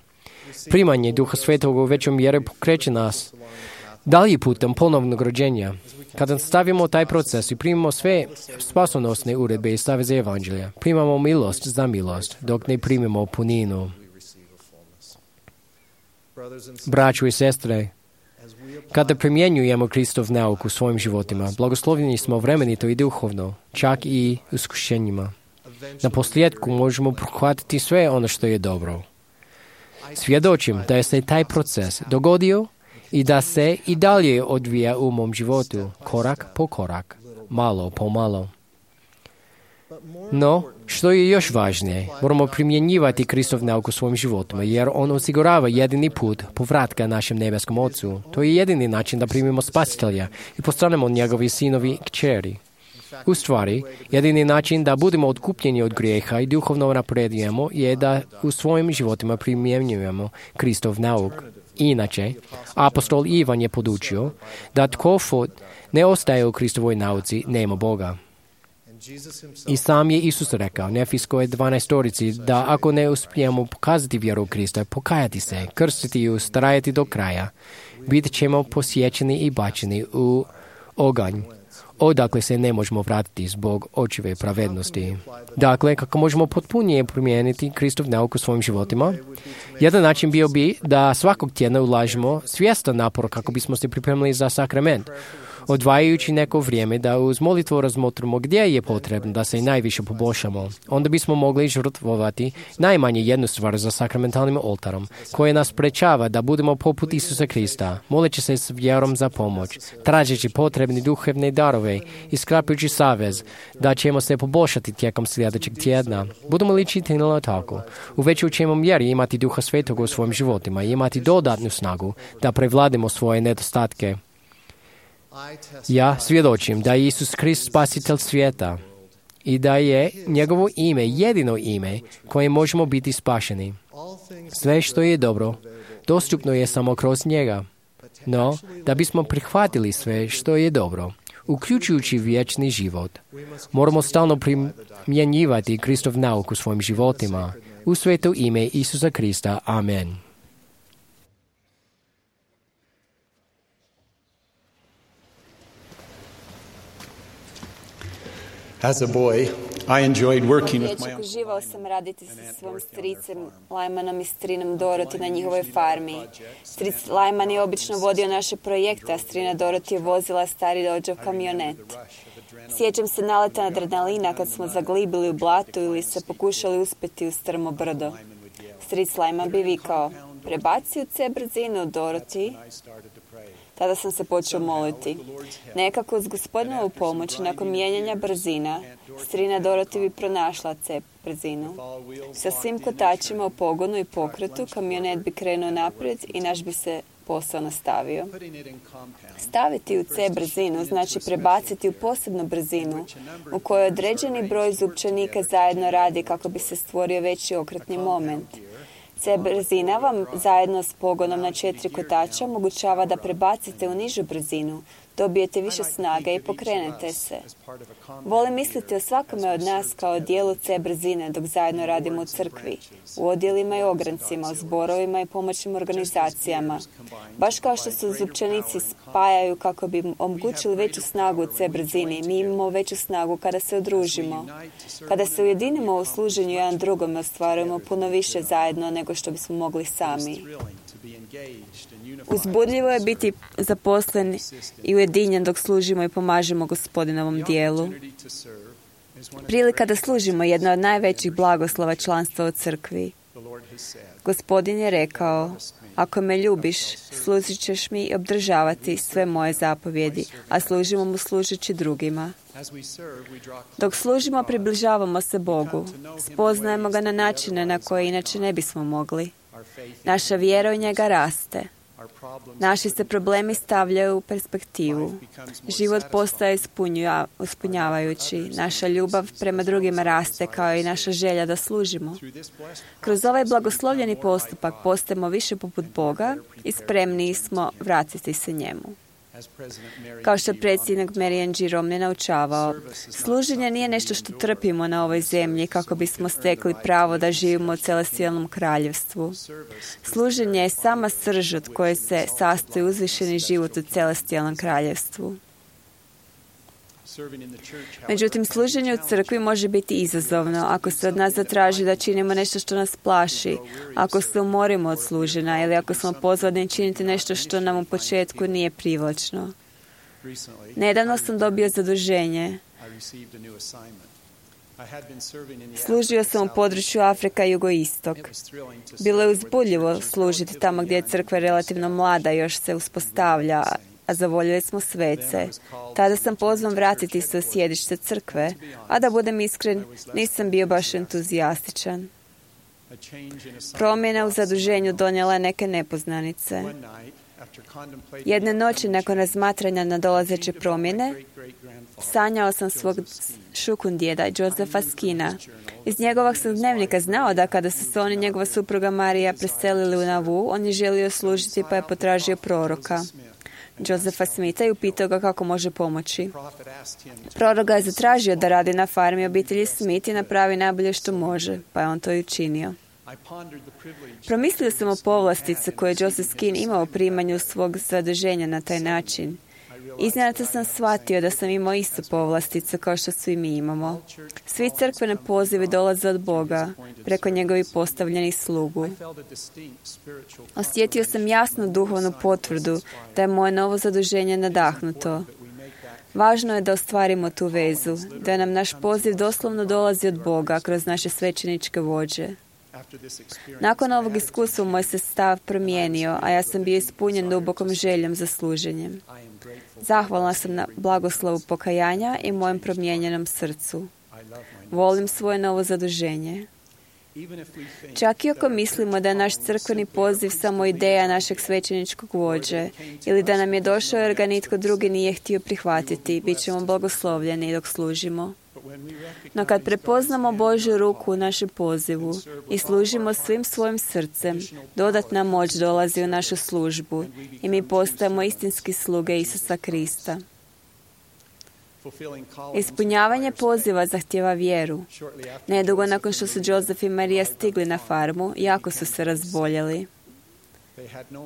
Primanje Duha Svetoga u većoj mjeri pokreće nas dalje putem ponovnog rođenja. Kada stavimo taj proces i primamo sve spasonosne uredbe i saveze evanđelja, primamo milost za milost, dok ne primimo puninu. Braćo i sestre, kada primjenjujemo Kristov nauk u svojim životima, blagoslovljeni smo vremenito i duhovno, čak i iskušenjima. Na posljedku možemo prihvatiti sve ono što je dobro. Svjedočim da je se taj proces dogodio i da se i dalje odvija u mom životu, korak po korak, malo po malo. No, što je još važnije, moramo primjenjivati Kristov nauk u svojim životima, jer on osigurava jedini put povratka našem nebeskom Ocu. To je jedini način da primimo Spasitelja i postanemo njegovi sinovi i kćeri. U stvari, jedini način da budemo odkupljeni od grijeha i duhovno napredujemo je da u svojim životima primjenjujemo Kristov nauk. Inače, apostol Ivan je podučio da tko ne ostaje u Kristovoj nauci, nema Boga. I sam je Isus rekao Nefijskoj 12 da ako ne uspijemo pokazati vjeru u Krista, pokajati se, krstiti i ustrajati do kraja, bit ćemo posjećeni i bačeni u oganj, odakle se ne možemo vratiti zbog očive pravednosti. Dakle, kako možemo potpunije primijeniti Kristov nauk u svojim životima? Jedan način bio bi da svakog tjedna ulažemo svjestan napor kako bismo se pripremili za sakrament, odvajajući neko vrijeme da uz molitvu razmotrimo gdje je potrebno da se najviše poboljšamo. Onda bismo mogli žrtvovati najmanje jednu stvar za sakramentalnim oltarom, koje nas sprečava da budemo poput Isusa Krista, moleći se s vjerom za pomoć, tražeći potrebne duhovne darove i sklapajući savez da ćemo se poboljšati tijekom sljedećeg tjedna. Budemo li činili tako, u većoj ćemo mjeri imati Duha Svetog u svojim životima i imati dodatnu snagu da prevladimo svoje nedostatke. Ja svjedočim da je Isus Krist spasitelj svijeta i da je njegovo ime jedino ime koje možemo biti spašeni. Sve što je dobro, dostupno je samo kroz njega. No, da bismo prihvatili sve što je dobro, uključujući vječni život, moramo stalno primjenjivati Kristov nauk u svojim životima. U sveto ime Isusa Krista. Amen. As a boy, I enjoyed working with my uncle. Uživao sam raditi sa svojim stricem Lajmanom i strinom Doroti na njihovoj farmi. Stric Lajman je obično vodio naše projekte, a strina Doroti je vozila stari Dodgeov kamionet. Sjećam se naleta adrenalina kad smo zaglibili u blatu ili se pokušali uspjeti u strmo brdo. Stric Lajman bi vikao, prebaci u C brzinu, Doroti. Tada sam se počeo moliti. Nekako uz Gospodinovu pomoć, nakon mijenjanja brzina, strina Doroti bi pronašla C brzinu. Sa svim kotačima u pogonu i pokretu, kamionet bi krenuo naprijed i naš bi se posao nastavio. Staviti u C brzinu znači prebaciti u posebnu brzinu u kojoj određeni broj zupčanika zajedno radi kako bi se stvorio veći okretni moment. C brzina vam zajedno s pogonom na 4 kotača omogućava da prebacite u nižu brzinu, dobijete više snage i pokrenete se. Volim misliti o svakome od nas kao dijelu C brzine dok zajedno radimo u crkvi, u odjelima i ograncima, u zborovima i pomoćnim organizacijama. Baš kao što se zupčanici spajaju kako bi omogućili veću snagu u C brzini, mi imamo veću snagu kada se udružimo. Kada se ujedinimo u služenju jedan drugome, ostvarujemo puno više zajedno nego što bismo mogli sami. Uzbudljivo je biti zaposlen i ujedinjen dok služimo i pomažemo Gospodinovom dijelu. Prilika da služimo je jedna od najvećih blagoslova članstva u crkvi. Gospodin je rekao, ako me ljubiš, služit ćeš mi i obdržavati sve moje zapovjedi, a služimo mu služeći drugima. Dok služimo, približavamo se Bogu. Spoznajemo ga na načine na koje inače ne bismo mogli. Naša vjera u njega raste. Naši se problemi stavljaju u perspektivu. Život postaje ispunjavajući. Naša ljubav prema drugima raste kao i naša želja da služimo. Kroz ovaj blagoslovljeni postupak postajemo više poput Boga i spremniji smo vratiti se njemu. Kao što je predsjednik Marian G. Romney naučavao, služenje nije nešto što trpimo na ovoj zemlji kako bismo stekli pravo da živimo u celestijalnom kraljevstvu. Služenje je sama srž od koje se sastoji uzvišeni život u celestijalnom kraljevstvu. Međutim, služenje u crkvi može biti izazovno ako se od nas zatraži da činimo nešto što nas plaši, ako se umorimo od služenja ili ako smo pozvani činiti nešto što nam u početku nije privlačno. Nedavno sam dobio zaduženje. Služio sam u području Afrika i jugoistok. Bilo je uzbudljivo služiti tamo gdje je crkva relativno mlada i još se uspostavlja, a zavoljeli smo svece. Tada sam pozvan vratiti se u sjedište crkve, a da budem iskren, nisam bio baš entuzijastičan. Promjena u zaduženju donijela je neke nepoznanice. Jedne noći, nakon razmatranja nadolazeće promjene, sanjao sam svog šukundjeda, Josefa Skina. Iz njegovog sam dnevnika znao da kada su se on i njegova supruga Marija preselili u Nauvoo, on je želio služiti pa je potražio proroka, Josefa Smitha, i upitao ga kako može pomoći. Prorok ga je zatražio da radi na farmi obitelji Smith i napravi najbolje što može, pa je on to i učinio. Promislio sam o povlastice koje je Joseph Skin imao u primanju svog zaduženja na taj način. Iznenada sam shvatio da sam imao istu povlasticu kao što svi mi imamo. Svi crkvene pozivi dolaze od Boga, preko njegovih postavljenih slugu. Osjetio sam jasnu duhovnu potvrdu da je moje novo zaduženje nadahnuto. Važno je da ostvarimo tu vezu, da nam naš poziv doslovno dolazi od Boga kroz naše svećeničke vođe. Nakon ovog iskustva moj se stav promijenio, a ja sam bio ispunjen dubokom željom za služenjem. Zahvalna sam na blagoslovu pokajanja i mojem promijenjenom srcu. Volim svoje novo zaduženje. Čak i ako mislimo da je naš crkveni poziv samo ideja našeg svećeničkog vođe ili da nam je došao jer ga nitko drugi nije htio prihvatiti, bit ćemo blagoslovljeni dok služimo. No kad prepoznamo Božju ruku u našem pozivu i služimo svim svojim srcem, dodatna moć dolazi u našu službu i mi postajemo istinski sluge Isusa Krista. Ispunjavanje poziva zahtjeva vjeru. Nedugo nakon što su Joseph i Marija stigli na farmu, jako su se razboljeli.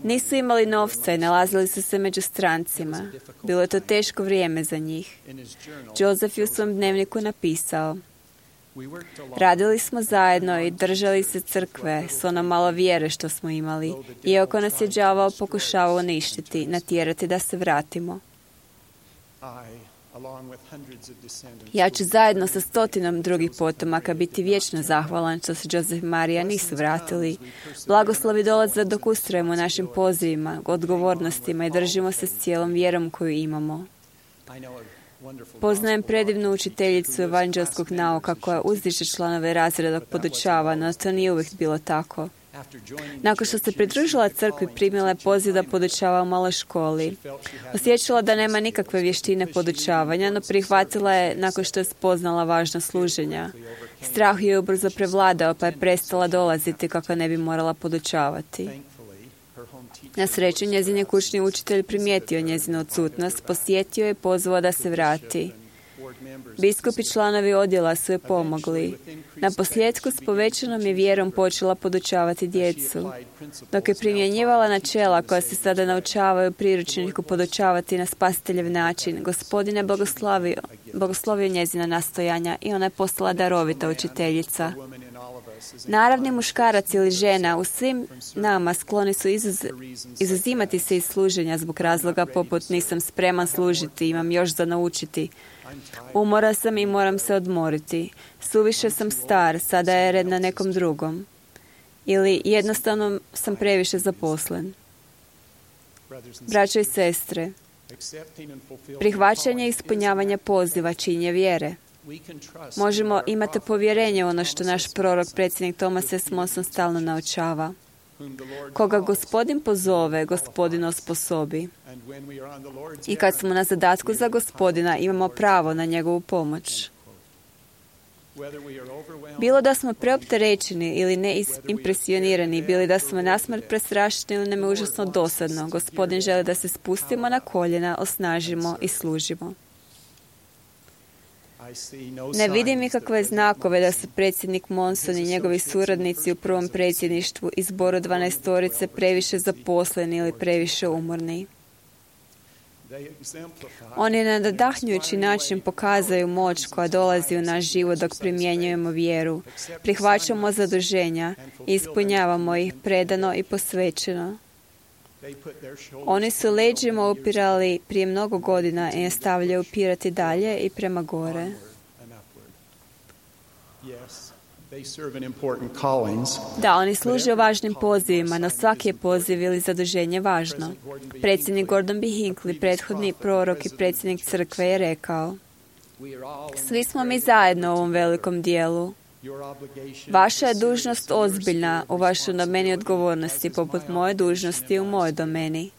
Nisu imali novca i nalazili su se među strancima. Bilo je to teško vrijeme za njih. Joseph je u svom dnevniku napisao: radili smo zajedno i držali se crkve s ono malo vjere što smo imali, iako nas je đavao pokušavao uništiti, natjerati da se vratimo. Ja ću zajedno sa 100 drugih potomaka biti vječno zahvalan što se Joseph i Marija nisu vratili. Blagoslovi dolaze dok ustrajemo našim pozivima, odgovornostima i držimo se s cijelom vjerom koju imamo. Poznajem predivnu učiteljicu evanđelskog nauka koja uzdiže članove razreda dok podučava, no to nije uvijek bilo tako. Nakon što se pridružila crkvi, primila je poziv da podučava u maloj školi. Osjećala da nema nikakve vještine podučavanja, no prihvatila je nakon što je spoznala važnost služenja. Strah je ubrzo prevladao, pa je prestala dolaziti kako ne bi morala podučavati. Na sreću, njezin je kućni učitelj primijetio njezinu odsutnost, posjetio je i pozvao da se vrati. Biskup i članovi odjela su joj pomogli. Na posljedku s povećanom je vjerom počela podučavati djecu. Dok je primjenjivala načela koja se sada naučavaju priručniku podučavati na spasiteljev način, Gospodin je blagoslovio njezina nastojanja i ona je postala darovita učiteljica. Naravni muškarac ili žena u svim nama skloni su izuzimati se iz služenja zbog razloga poput nisam spreman služiti, imam još za naučiti. Umoran sam i moram se odmoriti. Suviše sam star, sada je red na nekom drugom. ili jednostavno sam previše zaposlen. Braćo i sestre, prihvaćanje i ispunjavanje poziva činje vjere. Možemo imati povjerenje u ono što naš prorok, predsjednik Thomas S. Monson stalno naučava. Koga Gospodin pozove, Gospodin osposobi. I kad smo na zadatku za Gospodina, imamo pravo na njegovu pomoć. Bilo da smo preopterećeni ili neimpresionirani, bili da smo nasmrt prestrašeni ili nam je užasno dosadno, Gospodin želi da se spustimo na koljena, osnažimo i služimo. Ne vidim nikakve znakove da su predsjednik Monson i njegovi suradnici u prvom predsjedništvu i zboru 12-torice previše zaposleni ili previše umorni. Oni na nadahnjujući način pokazaju moć koja dolazi u naš život dok primjenjujemo vjeru, prihvaćamo zaduženja i ispunjavamo ih predano i posvećeno. Oni su leđima upirali prije mnogo godina i nastavljaju upirati dalje i prema gore. Da, oni služe u važnim pozivima, no svaki je poziv ili zaduženje važno. Predsjednik Gordon B. Hinckley, prethodni prorok i predsjednik crkve, je rekao: svi smo mi zajedno u ovom velikom dijelu. Vaša je dužnost ozbiljna u vašoj domeni odgovornosti, poput moje dužnosti u mojoj domeni.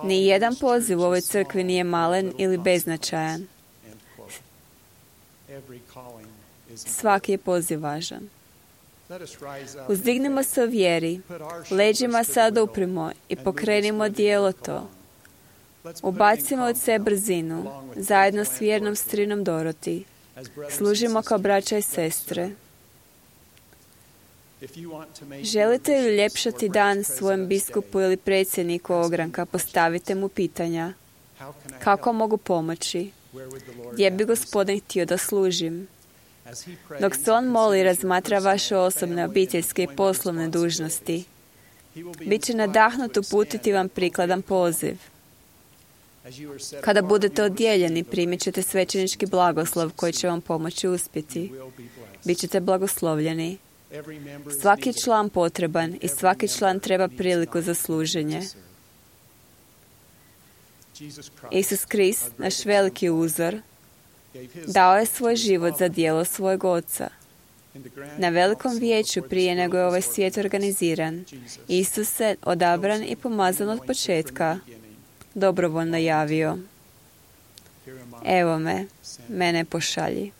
Ni jedan poziv u ovoj crkvi nije malen ili beznačajan. Svaki je poziv važan. Uzdignimo se u vjeri, leđima se oduprimo i pokrenimo dijelo to. Ubacimo od sebe brzinu, zajedno s vjernom strinom Doroti. Služimo kao braća i sestre. Želite li uljepšati dan svojem biskupu ili predsjedniku ogranka, postavite mu pitanja. Kako mogu pomoći? Gdje bi Gospodin htio da služim? Dok se on moli i razmatra vaše osobne, obiteljske i poslovne dužnosti, bit će nadahnut uputiti vam prikladan poziv. Kada budete odjeljeni, primit ćete svećenički blagoslov koji će vam pomoći uspjeti. Bićete blagoslovljeni. Svaki član potreban i svaki član treba priliku za služenje. Isus Krist, naš veliki uzor, dao je svoj život za djelo svojeg Oca. Na velikom vijeću prije nego je ovaj svijet organiziran, Isus se odabran i pomazan od početka dobrovoljno javio: evo me, mene pošalji.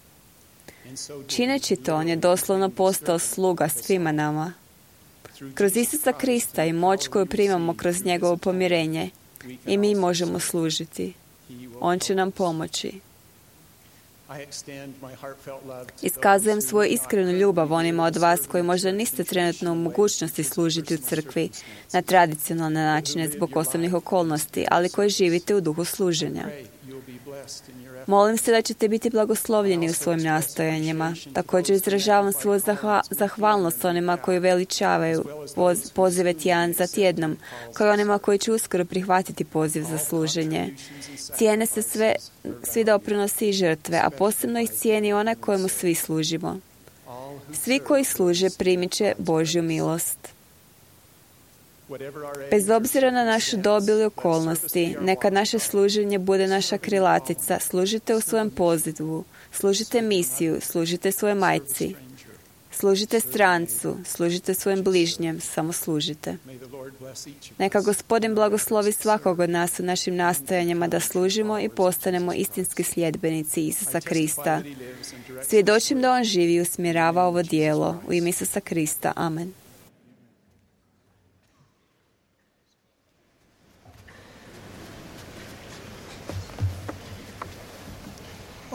Čineći to, on je doslovno postao sluga svima nama. Kroz Isusa Krista i moć koju primamo kroz njegovo pomirenje, i mi možemo služiti. On će nam pomoći. Iskazujem svoju iskrenu ljubav onima od vas koji možda niste trenutno u mogućnosti služiti u crkvi na tradicionalne načine zbog osobnih okolnosti, ali koji živite u duhu služenja. Molim se da ćete biti blagoslovljeni u svojim nastojanjima. Također izražavam svoju zahvalnost onima koji veličavaju pozive tjedan za tjednom, kao i onima koji će uskoro prihvatiti poziv za služenje. Cijene se svi doprinosi i žrtve, a posebno ih cijeni onaj kojemu svi služimo. Svi koji služe primit će Božju milost. Bez obzira na našu dob ili okolnosti, neka naše služenje bude naša krilatica. Služite u svojem pozivu, služite misiju, služite svojoj majci, služite strancu, služite svojim bližnjem, samo služite. Neka Gospodin blagoslovi svakog od nas u našim nastojanjima da služimo i postanemo istinski sljedbenici Isusa Krista. Svjedočim da on živi i usmjerava ovo djelo. U ime Isusa Krista. Amen.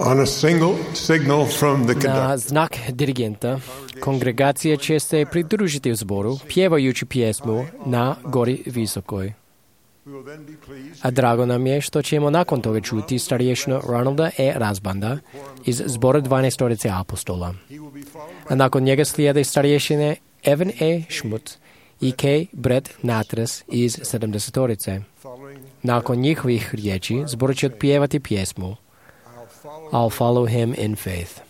On a signal from the Na conductor. znak dirigenta, kongregacija će se pridružiti u zboru, pjevajući pjesmu Na gori visokoj. A drago nam je što ćemo nakon toga čuti starješinu Ronalda E. Razbanda iz zbora 12-torice apostola. A nakon njega slijede starješine Evan E. Schmutz i K. Brett Natres iz 70-torice. Nakon njihovih riječi zbor će otpjevati pjesmu I'll follow him in faith.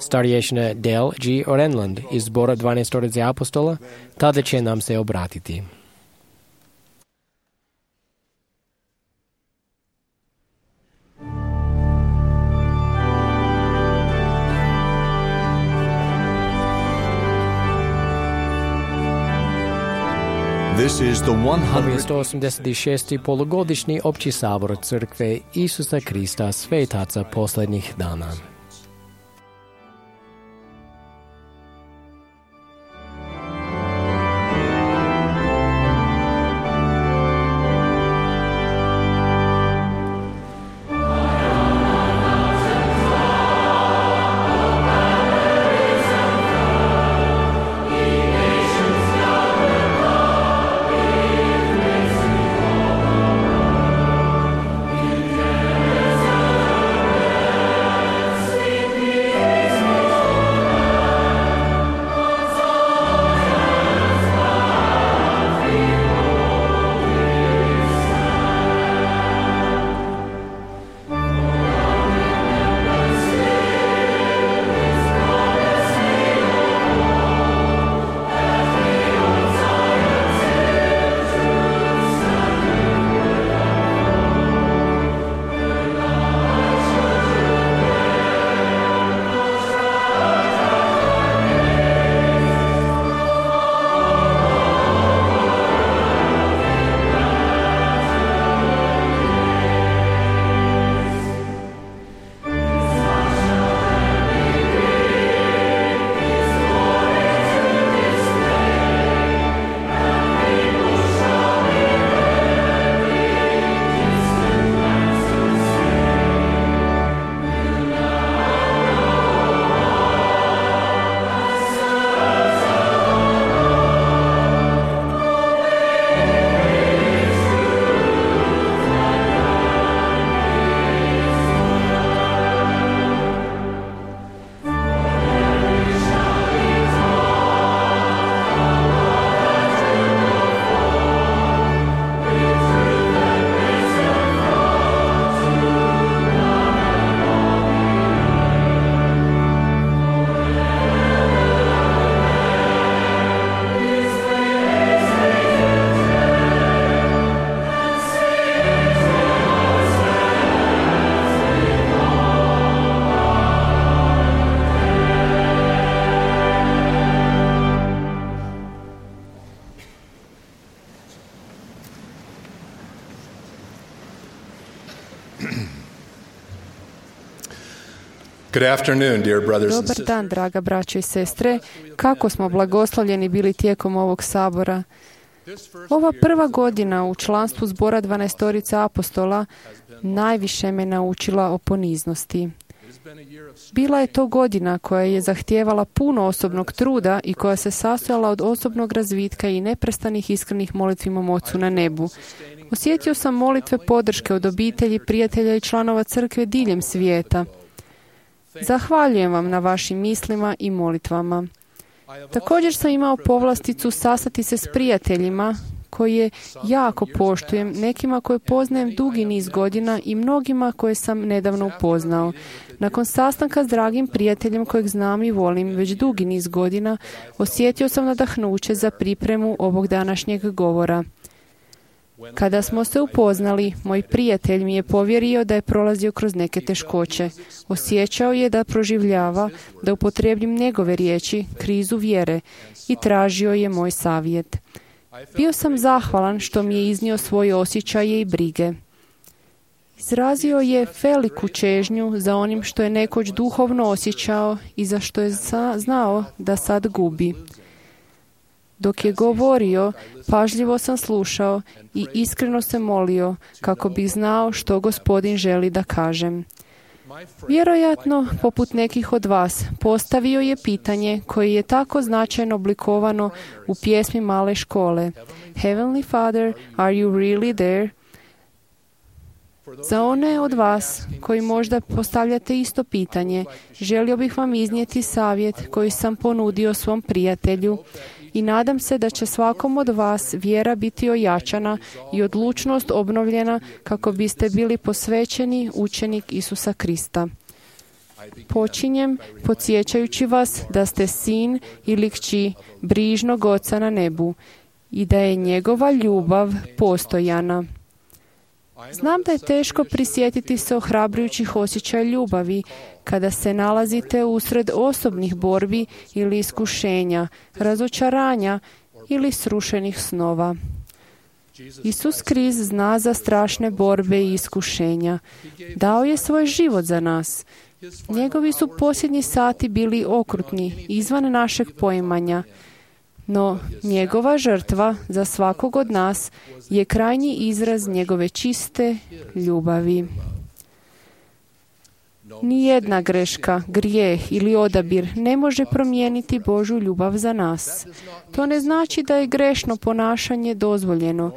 starješine Dale G. Orenland iz zbora 12 apostola, tada će nam se obratiti. This is the Ovo je 100th 186. polugodišnji opći sabor crkve Isusa Krista svetaca posljednjih dana. Good afternoon, dear brothers and Dobar sisters. dan, draga braćo i sestre. Kako smo blagoslovljeni bili tijekom ovog sabora. Ova prva godina u članstvu zbora 12 apostola najviše me naučila o poniznosti. Bila je to godina koja je zahtijevala puno osobnog truda i koja se sastojala od osobnog razvitka i neprestanih iskrenih molitvi mom Ocu na nebu. Osjetio sam molitve podrške od obitelji, prijatelja i članova crkve diljem svijeta. Zahvaljujem vam na vašim mislima i molitvama. Također sam imao povlasticu sastati se s prijateljima koje jako poštujem, nekima koje poznajem dugi niz godina i mnogima koje sam nedavno upoznao. Nakon sastanka s dragim prijateljem kojeg znam i volim već dugi niz godina, osjetio sam nadahnuće za pripremu ovog današnjeg govora. Kada smo se upoznali, moj prijatelj mi je povjerio da je prolazio kroz neke teškoće. Osjećao je da proživljava, da upotrijebim njegove riječi, krizu vjere, i tražio je moj savjet. Bio sam zahvalan što mi je iznio svoje osjećaje i brige. Izrazio je veliku čežnju za onim što je nekoć duhovno osjećao i za što je znao da sad gubi. Dok je govorio, pažljivo sam slušao i iskreno se molio kako bih znao što Gospodin želi da kažem. Vjerojatno, poput nekih od vas, postavio je pitanje koje je tako značajno oblikovano u pjesmi Male škole. Heavenly Father, are you really there? Za one od vas koji možda postavljate isto pitanje, želio bih vam iznijeti savjet koji sam ponudio svom prijatelju i nadam se da će svakom od vas vjera biti ojačana i odlučnost obnovljena kako biste bili posvećeni učenik Isusa Krista. Počinjem podsjećajući vas da ste sin ili kći brižnog Oca na nebu i da je njegova ljubav postojana. Znam da je teško prisjetiti se ohrabrujućih osjećaja ljubavi kada se nalazite usred osobnih borbi ili iskušenja, razočaranja ili srušenih snova. Isus Krist zna za strašne borbe i iskušenja. Dao je svoj život za nas. Njegovi su posljednji sati bili okrutni, izvan našeg poimanja. No, njegova žrtva za svakog od nas je krajnji izraz njegove čiste ljubavi. Nijedna greška, grijeh ili odabir ne može promijeniti Božju ljubav za nas. To ne znači da je grešno ponašanje dozvoljeno,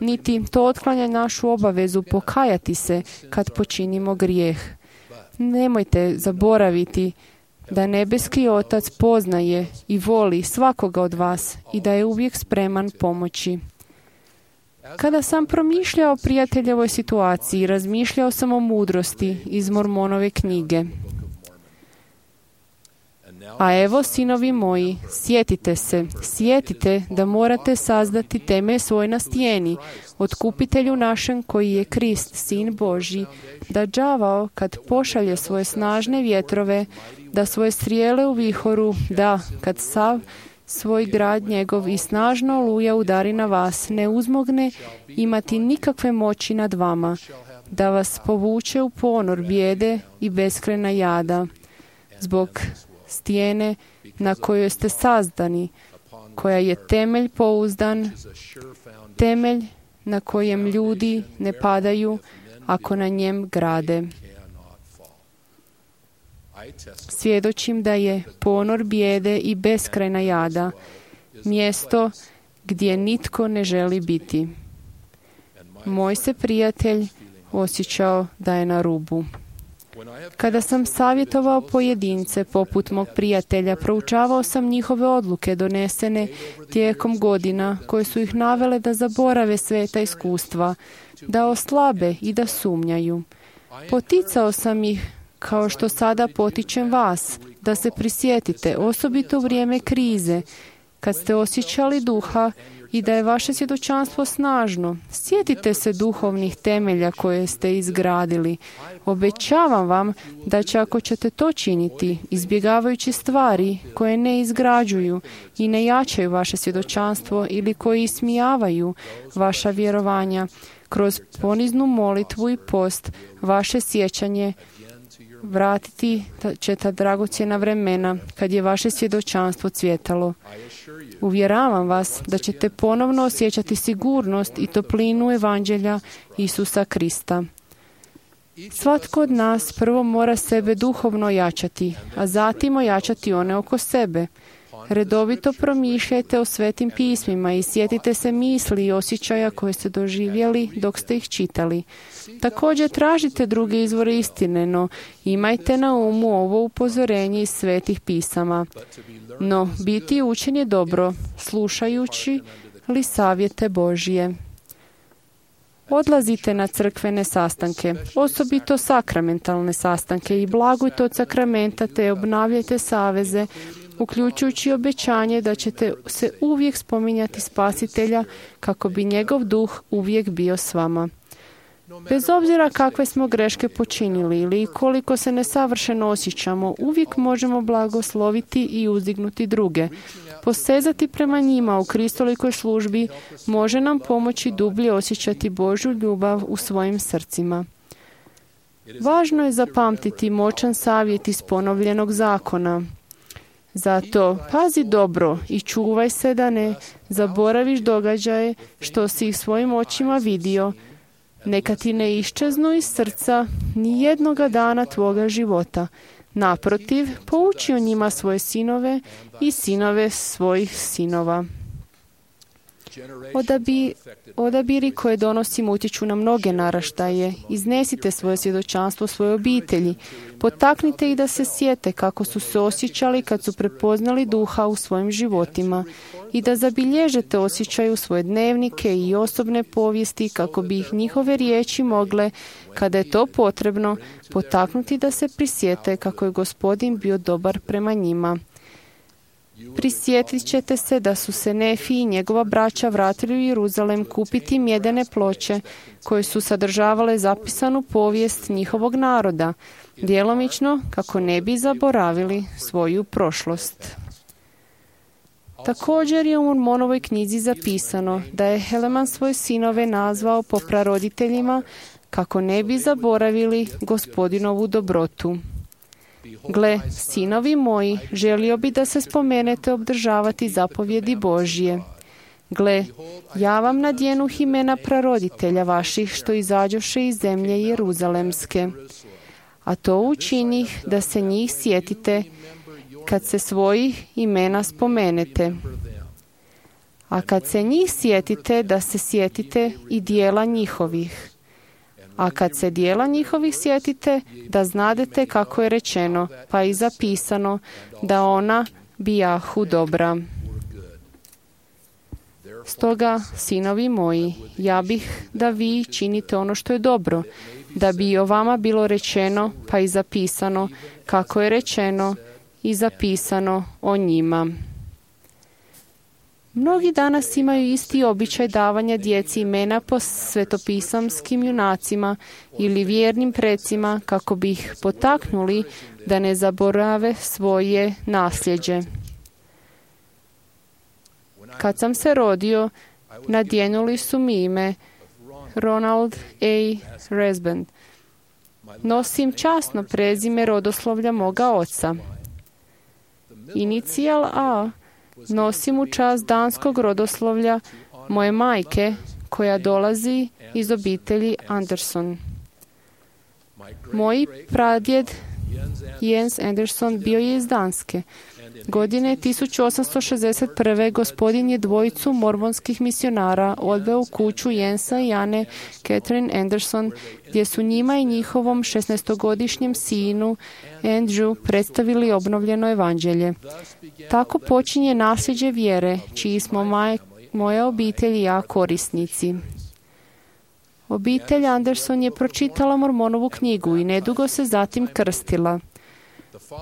niti to otklanja našu obavezu pokajati se kad počinimo grijeh. Nemojte zaboraviti da nebeski Otac poznaje i voli svakoga od vas i da je uvijek spreman pomoći. Kada sam promišljao o prijateljevoj situaciji, razmišljao sam o mudrosti iz Mormonove knjige. A evo, sinovi moji, sjetite da morate sazdati temelj svoj na stijeni, otkupitelju našem koji je Krist, Sin Božji, da đavao kad pošalje svoje snažne vjetrove, da svoje strijele u vihoru, da kad sav svoj grad njegov i snažno oluja udari na vas, ne uzmogne imati nikakve moći nad vama, da vas povuče u ponor bijede i beskrajna jada, zbog stijene na kojoj ste sazdani, koja je temelj pouzdan, temelj na kojem ljudi ne padaju ako na njem grade. Svjedočim da je ponor bijede i beskrajna jada, mjesto gdje nitko ne želi biti. Moj se prijatelj osjećao da je na rubu. Kada sam savjetovao pojedince poput mog prijatelja, proučavao sam njihove odluke donesene tijekom godina koje su ih navele da zaborave sveta iskustva, da oslabe i da sumnjaju. Poticao sam ih kao što sada potičem vas, da se prisjetite, osobito u vrijeme krize, kad ste osjećali duha i da je vaše svjedočanstvo snažno. Sjetite se duhovnih temelja koje ste izgradili. Obećavam vam da će, ako ćete to činiti, izbjegavajući stvari koje ne izgrađuju i ne jačaju vaše svjedočanstvo ili koji ismijavaju vaša vjerovanja, kroz poniznu molitvu i post, vaše sjećanje vratiti će ta dragocjena vremena kad je vaše svjedočanstvo cvjetalo. Uvjeravam vas da ćete ponovno osjećati sigurnost i toplinu evanđelja Isusa Krista. Svatko od nas prvo mora sebe duhovno jačati, a zatim ojačati one oko sebe. Redovito promišljajte o svetim pismima i sjetite se misli i osjećaja koje ste doživjeli dok ste ih čitali. Također tražite druge izvore istine, no imajte na umu ovo upozorenje iz svetih pisama. No, biti učen je dobro, slušajući li savjete Božije. Odlazite na crkvene sastanke, osobito sakramentalne sastanke, i blagujte od sakramenta te obnavljajte saveze, uključujući obećanje da ćete se uvijek spominjati Spasitelja kako bi njegov duh uvijek bio s vama. Bez obzira kakve smo greške počinili ili koliko se nesavršeno osjećamo, uvijek možemo blagosloviti i uzdignuti druge. Posezati prema njima u kristolikoj službi može nam pomoći dublje osjećati Božju ljubav u svojim srcima. Važno je zapamtiti moćan savjet iz ponovljenog zakona. Zato pazi dobro i čuvaj se da ne zaboraviš događaje što si ih svojim očima vidio. Neka ti ne iščeznu iz srca ni jednoga dana tvoga života. Naprotiv, pouči o njima svoje sinove i sinove svojih sinova. Odabiri koje donosimo utječu na mnoge naraštaje. Iznesite svoje svjedočanstvo svoje obitelji. Potaknite ih da se sjete kako su se osjećali kad su prepoznali duha u svojim životima i da zabilježete osjećaj u svoje dnevnike i osobne povijesti kako bi ih njihove riječi mogle, kada je to potrebno, potaknuti da se prisjete kako je Gospodin bio dobar prema njima. Prisjetit ćete se da su se Nefi i njegova braća vratili u Jeruzalem kupiti mjedene ploče koje su sadržavale zapisanu povijest njihovog naroda, djelomično kako ne bi zaboravili svoju prošlost. Također je u Mormonovoj knjizi zapisano da je Helaman svoje sinove nazvao po praroditeljima kako ne bi zaboravili Gospodinovu dobrotu. Gle, sinovi moji, želio bi da se spomenete obdržavati zapovjedi Božje. Gle, ja vam nadjenuh imena praroditelja vaših što izađoše iz zemlje Jeruzalemske. A to učinih da se njih sjetite kad se svojih imena spomenete. A kad se njih sjetite, da se sjetite i dijela njihovih. A kad se dijela njihovih sjetite, da znadete kako je rečeno, pa i zapisano, da ona bijahu dobra. Stoga, sinovi moji, ja bih da vi činite ono što je dobro, da bi i o vama bilo rečeno, pa i zapisano, kako je rečeno i zapisano o njima. Mnogi danas imaju isti običaj davanja djeci imena po svetopisamskim junacima ili vjernim precima kako bi ih potaknuli da ne zaborave svoje nasljeđe. Kad sam se rodio, nadjenuli su mi ime Ronald A. Resband. Nosim časno prezime rodoslovlja moga oca. Inicijal A nosim u čast danskog rodoslovlja moje majke, koja dolazi iz obitelji Anderson. Moj pradjed Jens Anderson bio je iz Danske. Godine 1861. Gospodin je dvojicu mormonskih misionara odveo u kuću Jensa i Ane Catherine Anderson, gdje su njima i njihovom 16-godišnjem sinu Andrew predstavili obnovljeno evanđelje. Tako počinje nasljeđe vjere, čiji smo moja obitelj i ja korisnici. Obitelj Anderson je pročitala Mormonovu knjigu i nedugo se zatim krstila.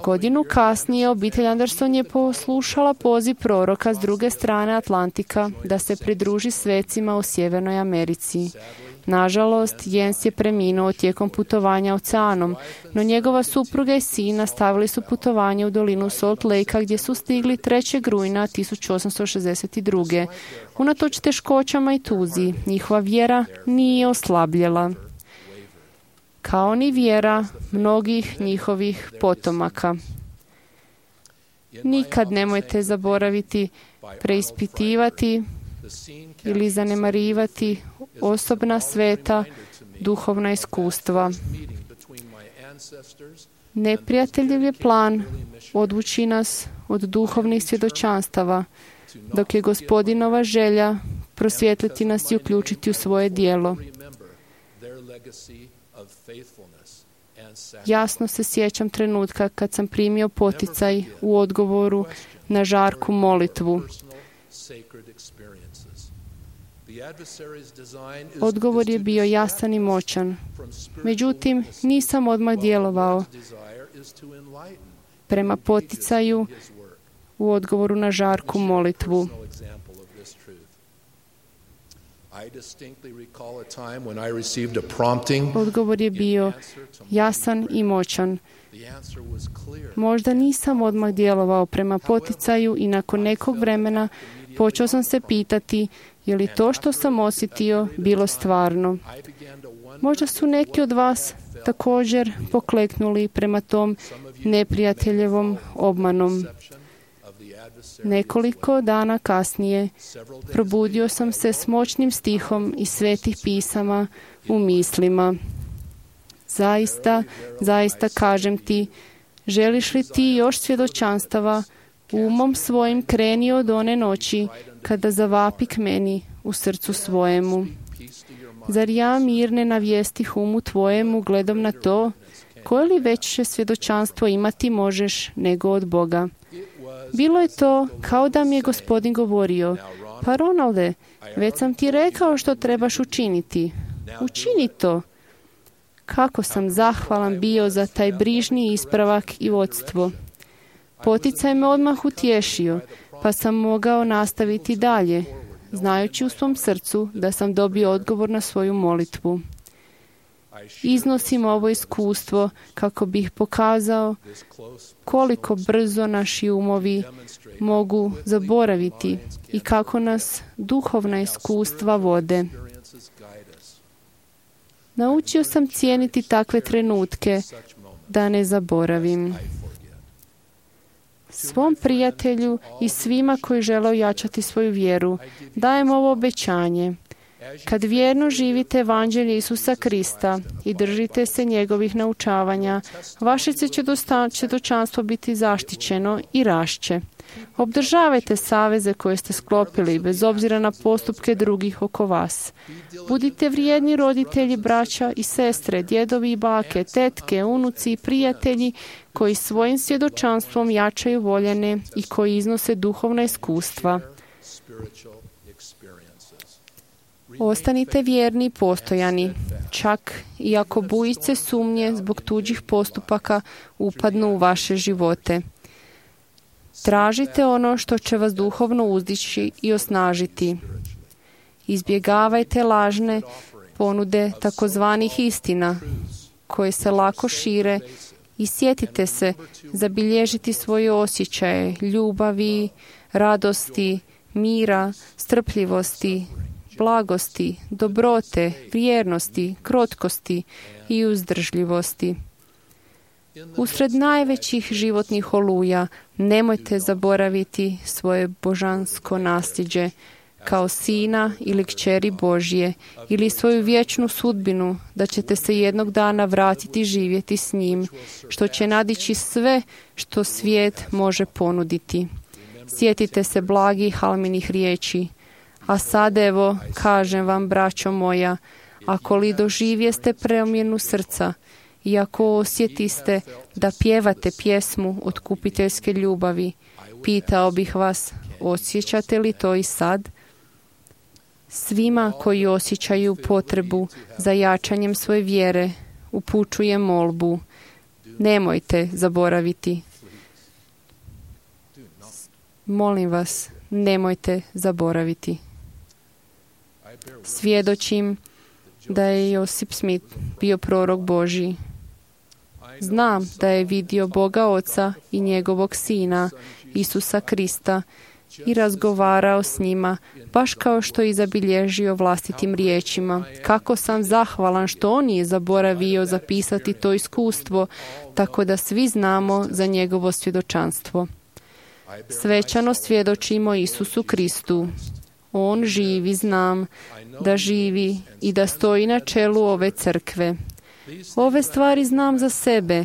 Godinu kasnije obitelj Anderson je poslušala poziv proroka s druge strane Atlantika da se pridruži svecima u Sjevernoj Americi. Nažalost, Jens je preminuo tijekom putovanja oceanom, no njegova supruga i sin nastavili su putovanje u dolinu Salt Lakea gdje su stigli 3. rujna 1862. Unatoč teškoćama i tuzi, njihova vjera nije oslabljela, kao ni vjera mnogih njihovih potomaka. Nikad nemojte zaboraviti preispitivati ili zanemarivati osobna sveta duhovna iskustva. Neprijateljev je plan odvući nas od duhovnih svjedočanstava, dok je Gospodinova želja prosvjetliti nas i uključiti u svoje djelo. Jasno se sjećam trenutka kad sam primio poticaj u odgovoru na žarku molitvu. Odgovor je bio jasan i moćan. Međutim, nisam odmah djelovao prema poticaju u odgovoru na žarku molitvu. Odgovor je bio jasan i moćan. Možda nisam odmah djelovao prema poticaju i nakon nekog vremena počeo sam se pitati je li to što sam osjetio bilo stvarno. Možda su neki od vas također pokleknuli prema tom neprijateljevom obmanom. Nekoliko dana kasnije probudio sam se s moćnim stihom iz svetih pisama u mislima. Zaista kažem ti, želiš li ti još svjedočanstava, umom svojim kreni od one noći kada zavapi k meni u srcu svojemu. Zar ja mir ne navijestih umu tvojemu gledom na to, koje li veće svjedočanstvo imati možeš nego od Boga? Bilo je to kao da mi je Gospodin govorio, pa Ronalde, već sam ti rekao što trebaš učiniti. Učini to. Kako sam zahvalan bio za taj brižni ispravak i vodstvo. Poticaj me odmah utješio, pa sam mogao nastaviti dalje, znajući u svom srcu da sam dobio odgovor na svoju molitvu. Iznosim ovo iskustvo kako bih pokazao koliko brzo naši umovi mogu zaboraviti i kako nas duhovna iskustva vode. Naučio sam cijeniti takve trenutke da ne zaboravim. Svom prijatelju i svima koji žele ojačati svoju vjeru dajem ovo obećanje. Kad vjerno živite evanđelje Isusa Krista i držite se njegovih naučavanja, vaše će svjedočanstvo biti zaštićeno i rašće. Obdržavajte saveze koje ste sklopili, bez obzira na postupke drugih oko vas. Budite vrijedni roditelji, braća i sestre, djedovi i bake, tetke, unuci i prijatelji koji svojim svjedočanstvom jačaju voljene i koji iznose duhovna iskustva. Ostanite vjerni i postojani, čak i ako bujice sumnje zbog tuđih postupaka upadnu u vaše živote. Tražite ono što će vas duhovno uzdići i osnažiti. Izbjegavajte lažne ponude takozvanih istina, koje se lako šire, i sjetite se zabilježiti svoje osjećaje, ljubavi, radosti, mira, strpljivosti, blagosti, dobrote, vjernosti, krotkosti i uzdržljivosti. Usred najvećih životnih oluja nemojte zaboraviti svoje božansko nasljeđe kao sina ili kćeri Božje ili svoju vječnu sudbinu da ćete se jednog dana vratiti živjeti s njim, što će nadići sve što svijet može ponuditi. Sjetite se blagih Halminih riječi. A sad evo, kažem vam, braćo moja, ako li doživjeste promjenu srca i ako osjetiste da pjevate pjesmu otkupiteljske ljubavi, pitao bih vas, osjećate li to i sad? Svima koji osjećaju potrebu za jačanjem svoje vjere, upućujem molbu. Nemojte zaboraviti. Molim vas, nemojte zaboraviti. Svjedočim da je Josip Smith bio prorok Božji. Znam da je vidio Boga Oca i njegovog Sina, Isusa Krista, i razgovarao s njima, baš kao što je zabilježio vlastitim riječima. Kako sam zahvalan što on nije zaboravio zapisati to iskustvo, tako da svi znamo za njegovo svjedočanstvo. Svečano svjedočimo Isusu Kristu. On živi, znam da živi i da stoji na čelu ove crkve. Ove stvari znam za sebe,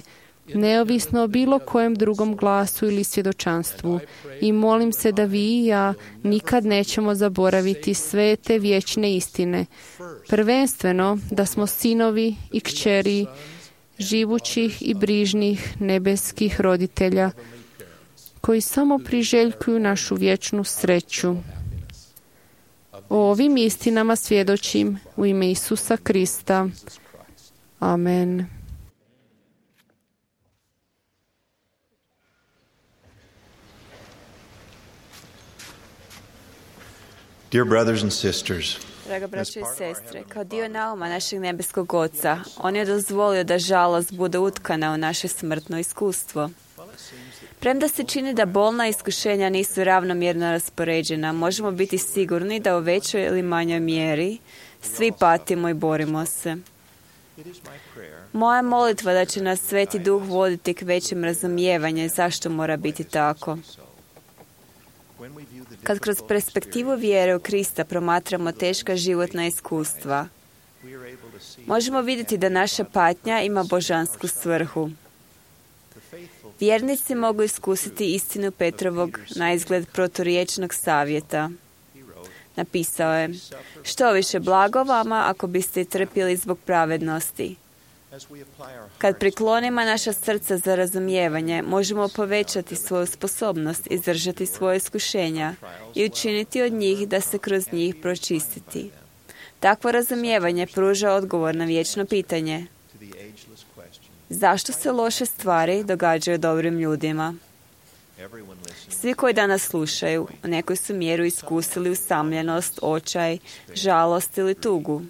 neovisno o bilo kojem drugom glasu ili svjedočanstvu, i molim se da vi i ja nikad nećemo zaboraviti sve te vječne istine. Prvenstveno da smo sinovi i kćeri živućih i brižnih nebeskih roditelja koji samo priželjkuju našu vječnu sreću. O ovim istinama svjedočim u ime Isusa Krista. Amen. Dear brothers and sisters, Draga braćo i sestre, kao dio nauma našeg nebeskog Oca, on je dozvolio da žalost bude utkana u naše smrtno iskustvo. Premda se čini da bolna iskušenja nisu ravnomjerno raspoređena, možemo biti sigurni da u većoj ili manjoj mjeri svi patimo i borimo se. Moja molitva da će nas Sveti Duh voditi k većem razumijevanju zašto mora biti tako. Kad kroz perspektivu vjere u Krista promatramo teška životna iskustva, možemo vidjeti da naša patnja ima božansku svrhu. Vjernici mogu iskusiti istinu Petrovog naizgled proturječnog savjeta. Napisao je: što više blago vama ako biste trpjeli zbog pravednosti. Kad priklonimo naša srca za razumijevanje, možemo povećati svoju sposobnost izdržati svoje iskušenja i učiniti od njih da se kroz njih pročistiti. Takvo razumijevanje pruža odgovor na vječno pitanje: zašto se loše stvari događaju dobrim ljudima? Svi koji danas slušaju u nekoj su mjeru iskusili usamljenost, očaj, žalost ili tugu,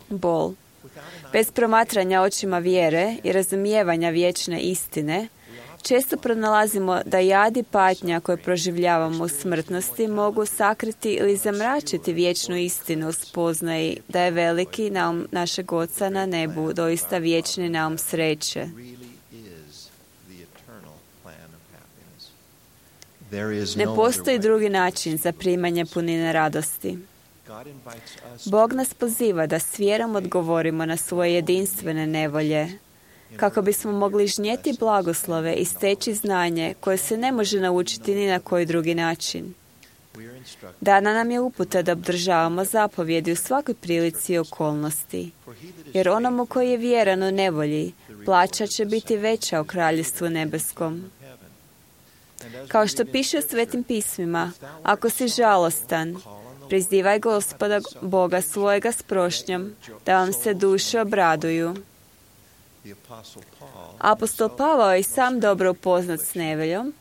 bol. Bez promatranja očima vjere i razumijevanja vječne istine, često pronalazimo da jad i patnja koje proživljavamo u smrtnosti mogu sakriti ili zamračiti vječnu istinu u spoznaji da je veliki naum našeg Oca na nebu doista vječni naum sreće. Ne postoji drugi način za primanje punine radosti. Bog nas poziva da s vjerom odgovorimo na svoje jedinstvene nevolje, kako bismo mogli žnjeti blagoslove i steći znanje koje se ne može naučiti ni na koji drugi način. Dana nam je uputa da obdržavamo zapovjedi u svakoj prilici i okolnosti, jer onomu koji je vjeran u nevolji, plaća će biti veća u kraljevstvu nebeskom. Kao što piše u Svetim pismima, ako si žalostan, prizivaj Gospoda Boga svojega s prošnjom, da vam se duše obraduju. Apostol Pavao je sam dobro upoznat s nevoljom,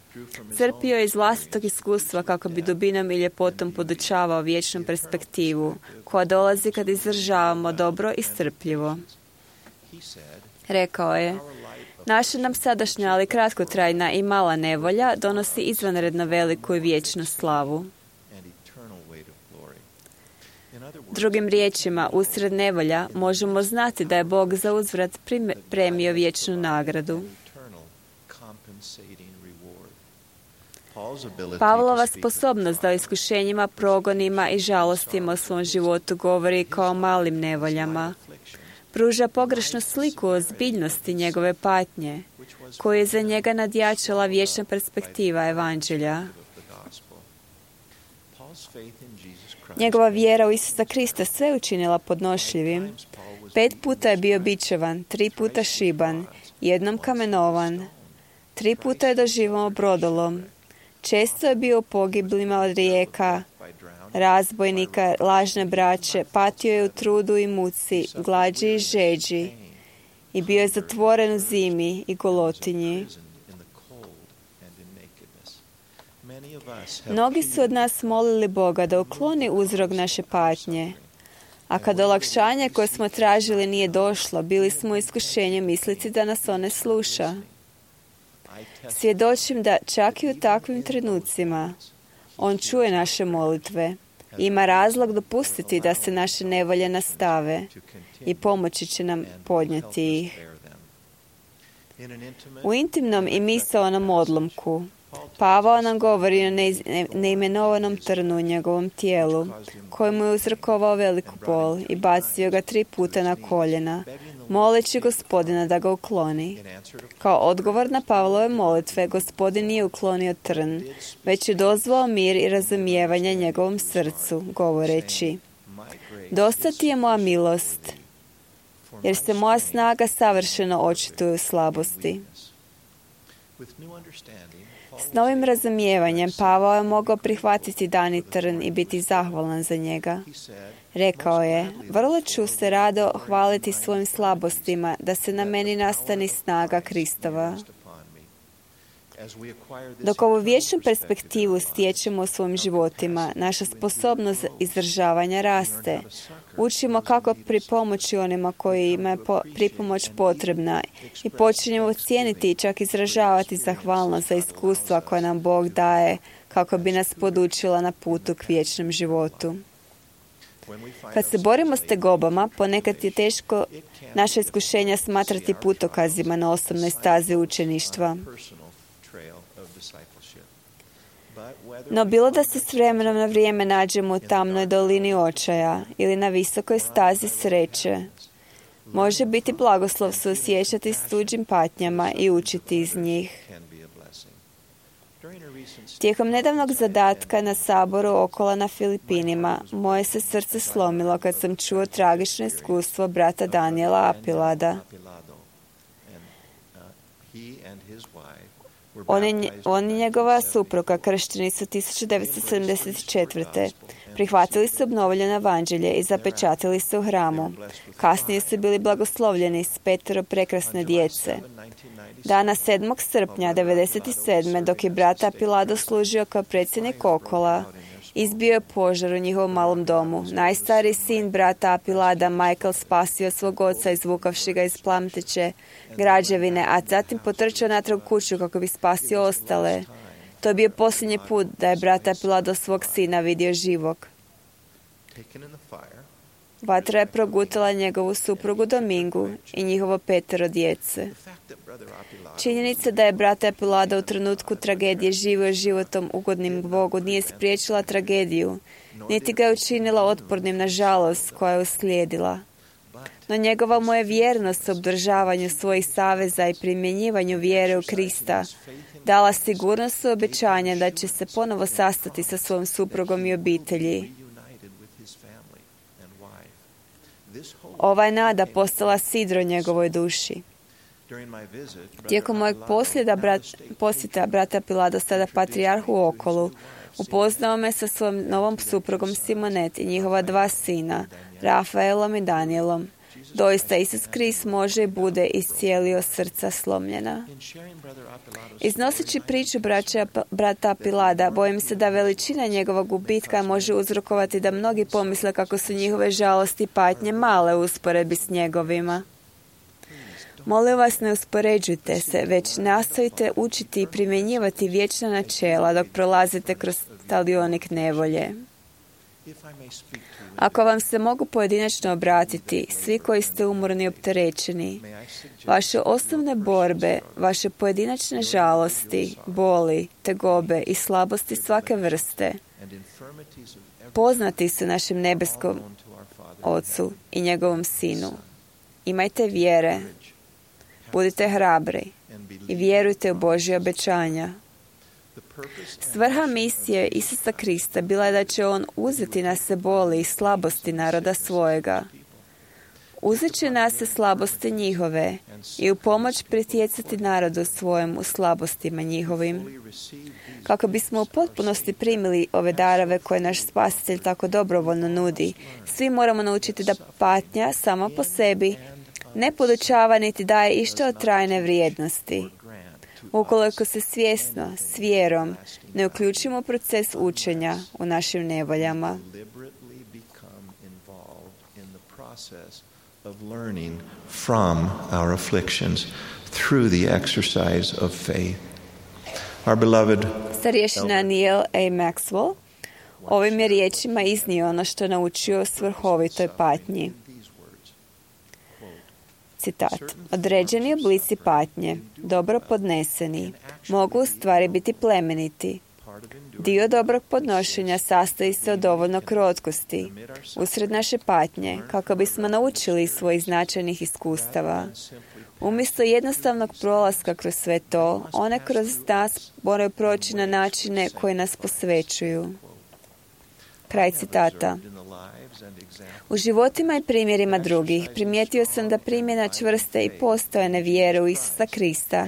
crpio je iz vlastitog iskustva kako bi dubinom i ljepotom podučavao vječnu perspektivu, koja dolazi kad izdržavamo dobro i strpljivo. Rekao je: naša nam sadašnja, ali kratkotrajna i mala nevolja donosi izvanredno veliku i vječnu slavu. Drugim riječima, usred nevolja možemo znati da je Bog za uzvrat premio vječnu nagradu. Pavlova sposobnost da o iskušenjima, progonima i žalostima u svom životu govori kao o malim nevoljama, pruža pogrešnu sliku o ozbiljnosti njegove patnje, koju je za njega nadjačala vječna perspektiva evanđelja. Njegova vjera u Isusa Krista sve učinila podnošljivim. 5 puta je bio bičevan, 3 puta šiban, 1 kamenovan, 3 puta je doživao brodolom. Često je bio u pogiblima od rijeka, razbojnika, lažne braće, patio je u trudu i muci, glađi i žeđi, i bio je zatvoren u zimi i golotinji. Mnogi su od nas molili Boga da ukloni uzrok naše patnje, a kad olakšanje koje smo tražili nije došlo, bili smo u iskušenju misliti da nas on ne sluša. Svjedočim da čak i u takvim trenucima on čuje naše molitve i ima razlog dopustiti da se naše nevolje nastave i pomoći će nam podnijeti ih. U intimnom i misaonom odlomku Pavao nam govori o neimenovanom trnu u njegovom tijelu, koji mu je uzrokovao veliku bol i bacio ga 3 puta na koljena, moleći Gospodina da ga ukloni. Kao odgovor na Pavlove molitve, Gospodin nije uklonio trn, već je dozvao mir i razumijevanje njegovom srcu, govoreći: dosta ti je moja milost, jer se moja snaga savršeno očituje u slabosti. S novim razumijevanjem Pavao je mogao prihvatiti dani trn i biti zahvalan za njega. Rekao je: vrlo ću se rado hvaliti svojim slabostima, da se na meni nastani snaga Kristova. Dok ovu vječnu perspektivu stječemo u svojim životima, naša sposobnost izdržavanja raste. Učimo kako pripomoći onima kojima je pripomoć potrebna i počinjemo cijeniti i čak izražavati zahvalnost za iskustva koja nam Bog daje kako bi nas podučila na putu k vječnom životu. Kad se borimo s tegobama, ponekad je teško naše iskušenja smatrati putokazima na osobnoj stazi učeništva. No bilo da se s vremenom na vrijeme nađemo u tamnoj dolini očaja ili na visokoj stazi sreće, može biti blagoslov suosjećati s tuđim patnjama i učiti iz njih. Tijekom nedavnog zadatka na saboru Okola na Filipinima, moje se srce slomilo kad sam čuo tragično iskustvo brata Daniela Apilada. On i njegova supruga kršteni su 1974. Prihvatili su obnovljeno evanđelje i zapečatili se u hramu. Kasnije su bili blagoslovljeni s 5 prekrasne djece. Dana 7. srpnja 1997. dok je brat Apilado služio kao predsjednik Okola, izbio je požar u njihovom malom domu. Najstariji sin brata Apilada, Michael, spasio svog oca izvukavši ga iz plamteće građevine, a zatim potrčao natrag kuću kako bi spasio ostale. To je bio posljednji put da je brat Apilado svog sina vidio živog. Vatra je progutala njegovu suprugu Domingu i njihovo 5 djece. Činjenica da je brat Apilado u trenutku tragedije živio životom ugodnim Bogu nije spriječila tragediju, niti ga je učinila otpornim na žalost koja je uslijedila. No njegova mu je vjernost u obdržavanju svojih saveza i primjenjivanju vjere u Krista dala sigurnost u obećanje da će se ponovo sastati sa svojom suprugom i obitelji. Ova je nada postala sidro njegovoj duši. Tijekom mojeg posjeta brata Apilado, sada patrijarhu u Okolu, upoznao me sa svojom novom suprugom Simonet i njihova 2 sina, Rafaelom i Danielom. Doista, Isus Krist može i bude iscijelio srca slomljena. Iznoseći priču brata Apilada, bojim se da veličina njegovog gubitka može uzrokovati da mnogi pomisle kako su njihove žalosti i patnje male u usporedbi s njegovima. Molim vas, ne uspoređujte se, već nastojite učiti i primjenjivati vječna načela dok prolazite kroz talionik nevolje. Ako vam se mogu pojedinačno obratiti, svi koji ste umorni i opterećeni, vaše osnovne borbe, vaše pojedinačne žalosti, boli, tegobe i slabosti svake vrste, poznati su našem nebeskom Ocu i njegovom Sinu. Imajte vjere, budite hrabri i vjerujte u Božje obećanja. Svrha misije Isusa Krista bila je da će on uzeti na se boli i slabosti naroda svojega. Uzet će na se slabosti njihove i u pomoć pritjecati narodu svojem u slabostima njihovim. Kako bismo u potpunosti primili ove darove koje naš Spasitelj tako dobrovoljno nudi, svi moramo naučiti da patnja sama po sebi ne podučava niti daje išta od trajne vrijednosti. Ukoliko se svjesno, s vjerom, ne uključimo u proces učenja u našim nevoljama. Starješina Neil A. Maxwell ovim je riječima iznio ono što je naučio o svrhovitoj patnji. Citat. Određeni oblici patnje, dobro podneseni, mogu u stvari biti plemeniti. Dio dobrog podnošenja sastoji se od dovoljno krotkosti usred naše patnje, kako bismo naučili iz svojih značajnih iskustava. Umjesto jednostavnog prolaska kroz sve to, one kroz nas moraju proći na načine koji nas posvećuju. Kraj citata. U životima i primjerima drugih primijetio sam da primjena čvrste i postojane vjere u Isusa Krista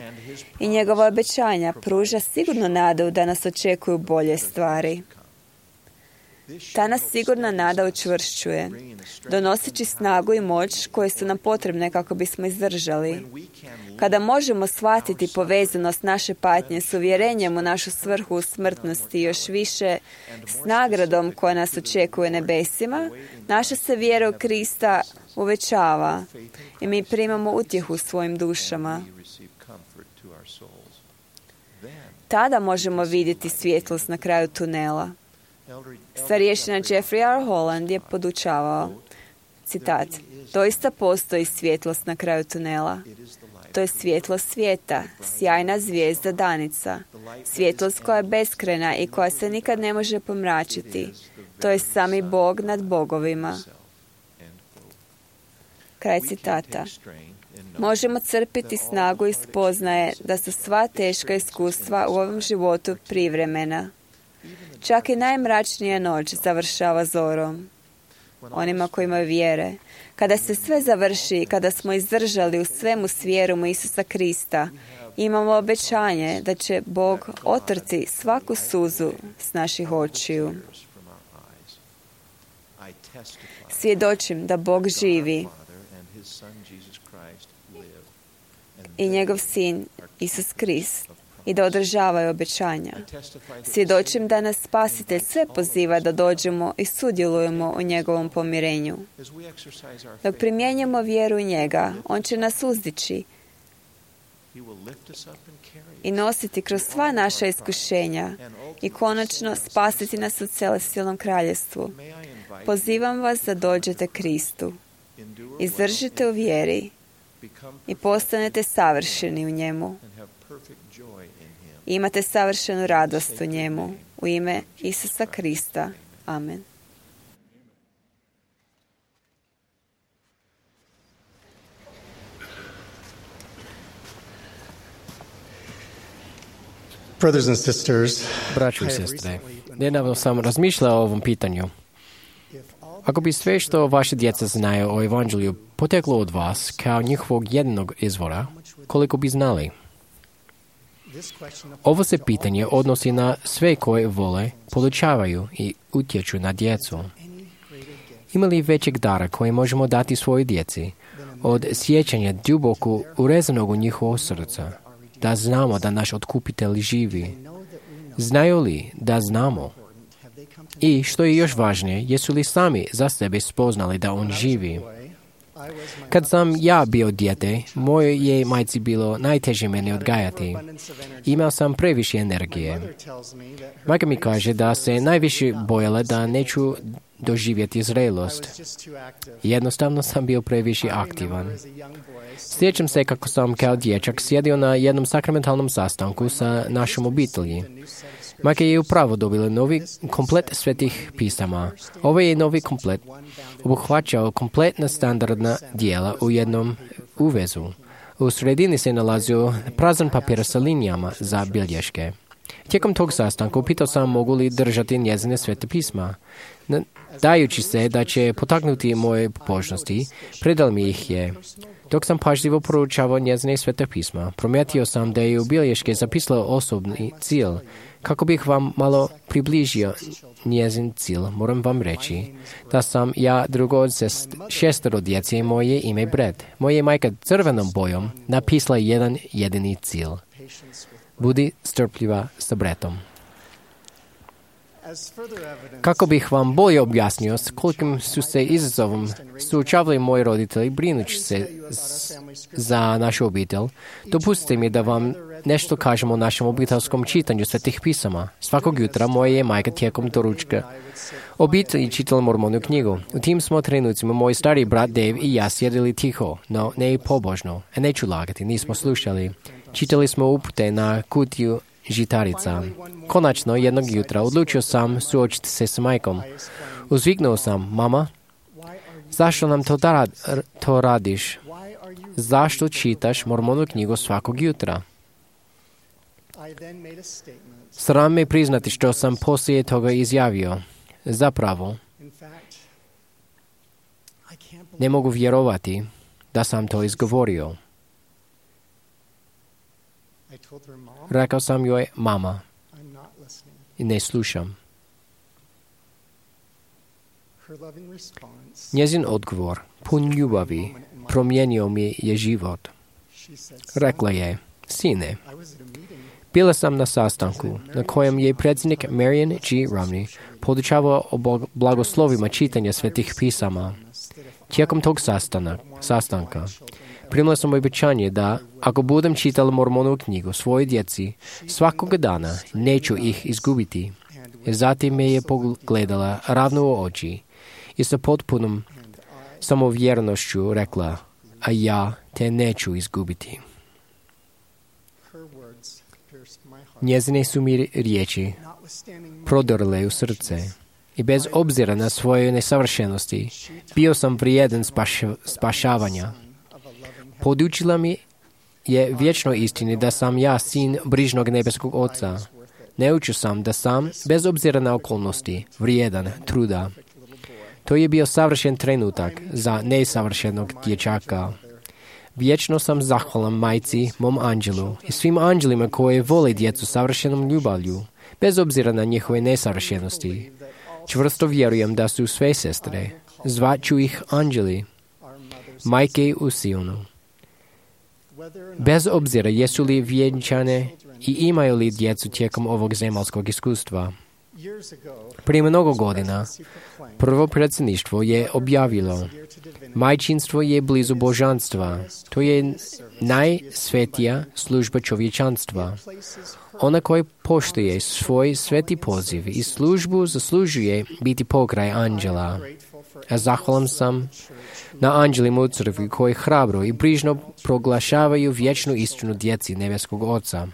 i njegova obećanja pruža sigurno nadu da nas očekuju bolje stvari. Ta nas sigurna nada učvršćuje, donoseći snagu i moć koje su nam potrebne kako bismo izdržali. Kada možemo shvatiti povezanost naše patnje s uvjerenjem u našu svrhu u smrtnosti i još više s nagradom koja nas očekuje nebesima, naša se vjera u Krista uvećava i mi primamo utjehu u svojim dušama. Tada možemo vidjeti svjetlost na kraju tunela. Starješina Jeffrey R. Holland je podučavao, citat, doista postoji svjetlost na kraju tunela. To je svjetlost svijeta, sjajna zvijezda danica, svjetlost koja je beskrajna i koja se nikad ne može pomračiti. To je sami Bog nad bogovima. Kraj citata. možemo crpiti snagu i spoznaje da su sva teška iskustva u ovom životu privremena. Čak i najmračnija noć završava zorom. Onima koji imaju vjere. Kada se sve završi, kada smo izdržali u svemu s vjerom u Isusa Krista, imamo obećanje da će Bog otrti svaku suzu s naših očiju. Svjedočim da Bog živi i njegov sin Isus Krist i da održavaju obećanja. Svjedočim da nas Spasitelj sve poziva da dođemo i sudjelujemo u njegovom pomirenju. Dok primjenjujemo vjeru u njega, on će nas uzdići i nositi kroz sva naša iskušenja i konačno spasiti nas u celestijalnom kraljevstvu. Pozivam vas da dođete Kristu. Izdržite u vjeri i postanete savršeni u njemu. I imate savršenu radost u njemu. U ime Isusa Krista. Amen. Brothers and sisters, Braćo i sestre, nedavno sam razmišljao o ovom pitanju. Ako bi sve što vaše djeca znaju o evanđelju poteklo od vas kao njihovog jedinog izvora, koliko bi znali? Ovo se pitanje odnosi na sve koje vole, podučavaju i utječu na djecu. Ima li većeg dara koje možemo dati svojoj djeci od sjećanja duboko urezanog u njihovo srca, da znamo da naš otkupitelj živi? Znaju li da znamo? I, što je još važnije, jesu li sami za sebe spoznali da on živi? Kad sam ja bio dijete, mojoj je majci bilo najteže mene odgajati. Imao sam previše energije. Majka mi kaže da se najviše bojala da neću doživjeti zrelost. Jednostavno sam bio previše aktivan. Sjećam se kako sam kao dječak sjedio na jednom sakramentalnom sastanku sa našom obitelji. Majka je upravo dobila novi komplet svetih pisama. Ovaj je novi komplet obuhvaćao kompletna standardna dijela u jednom uvezu. U sredini se nalazio prazan papir sa linijama za bilješke. Tijekom tog sastanka pitao sam mogu li držati njezine svete pisma. Dajući se da će potaknuti moje pobožnosti, predal mi ih je. Dok sam pažljivo proučavao njezine svete pisma, primijetio sam da je u bilješke zapisala osobni cilj. Kako bih vam malo približio njezin cilj, moram vam reći da sam ja drugo od 6 djece i moje ime Brett. Moja majka crvenom bojom napisala jedan jedini cilj. Budi strpljiva sa Brettom. Kako bih vam bolje objasnio s kolikim su se izazovom suočavali moji roditelji brinući se za našu obitelj, dopustite mi da vam nešto kažem o našem obiteljskom čitanju svetih pisama. Svakog jutra moja je majka tijekom doručka obitelji čitala Mormonu knjigu. U tim smo trenucima moj stari brat Dave i ja sjedili tiho, no ne i pobožno. Neću lagati, nismo slušali. Čitali smo upute na kutiju žitarica. Konačno, jednog jutra odlučio sam suočiti se s majkom. Uzviknuo sam, mama, zašto nam to radiš? Zašto čitaš Mormonu knjigu svakog jutra? Sram me priznati što sam poslije toga izjavio. Zapravo, ne mogu vjerovati da sam to izgovorio. Rekao sam joj, mama, i ne slušam. Njezin odgovor, pun ljubavi, promijenio mi je život. Rekla je, sine, bila sam na sastanku na kojem je predsjednik Marion G. Romney podučavao o blagoslovima čitanja svetih pisama. Tijekom tog sastanka primila sam obećanje da ako budem čitala Mormonovu knjigu svojoj djeci svakog dana, neću ih izgubiti. Zatim me je pogledala ravno u oči i sa potpunom samovjernošću rekla, a ja te neću izgubiti. Njezine su mi riječi prodrle u srce i bez obzira na svoje nesavršenosti bio sam vrijedan spašavanja. Podučila mi je vječnoj istini da sam ja sin brižnog nebeskog Oca. Naučio sam da sam, bez obzira na okolnosti, vrijedan truda. To je bio savršen trenutak za nesavršenog dječaka. Vječno sam zahvalan majci, mom anđelu i svim anđelima koji vole djecu savršenom ljubavlju, bez obzira na njihove nesavršenosti. Čvrsto vjerujem da su sve sestre, zvaću ih anđeli, majke u Sionu. Bez obzira jesu li vjenčane i imaju li djecu tijekom ovog zemaljskog iskustva. Prije mnogo godina, prvo predsjedništvo je objavilo: majčinstvo je blizu božanstva. To je najsvetija služba čovječanstva. Ona koja poštuje svoj sveti poziv i službu zaslužuje biti pokraj anđela. A zahvalan sam na anđelima u crkvi koji hrabro i brižno proglašavaju vječnu istinu djeci nebeskog Oca.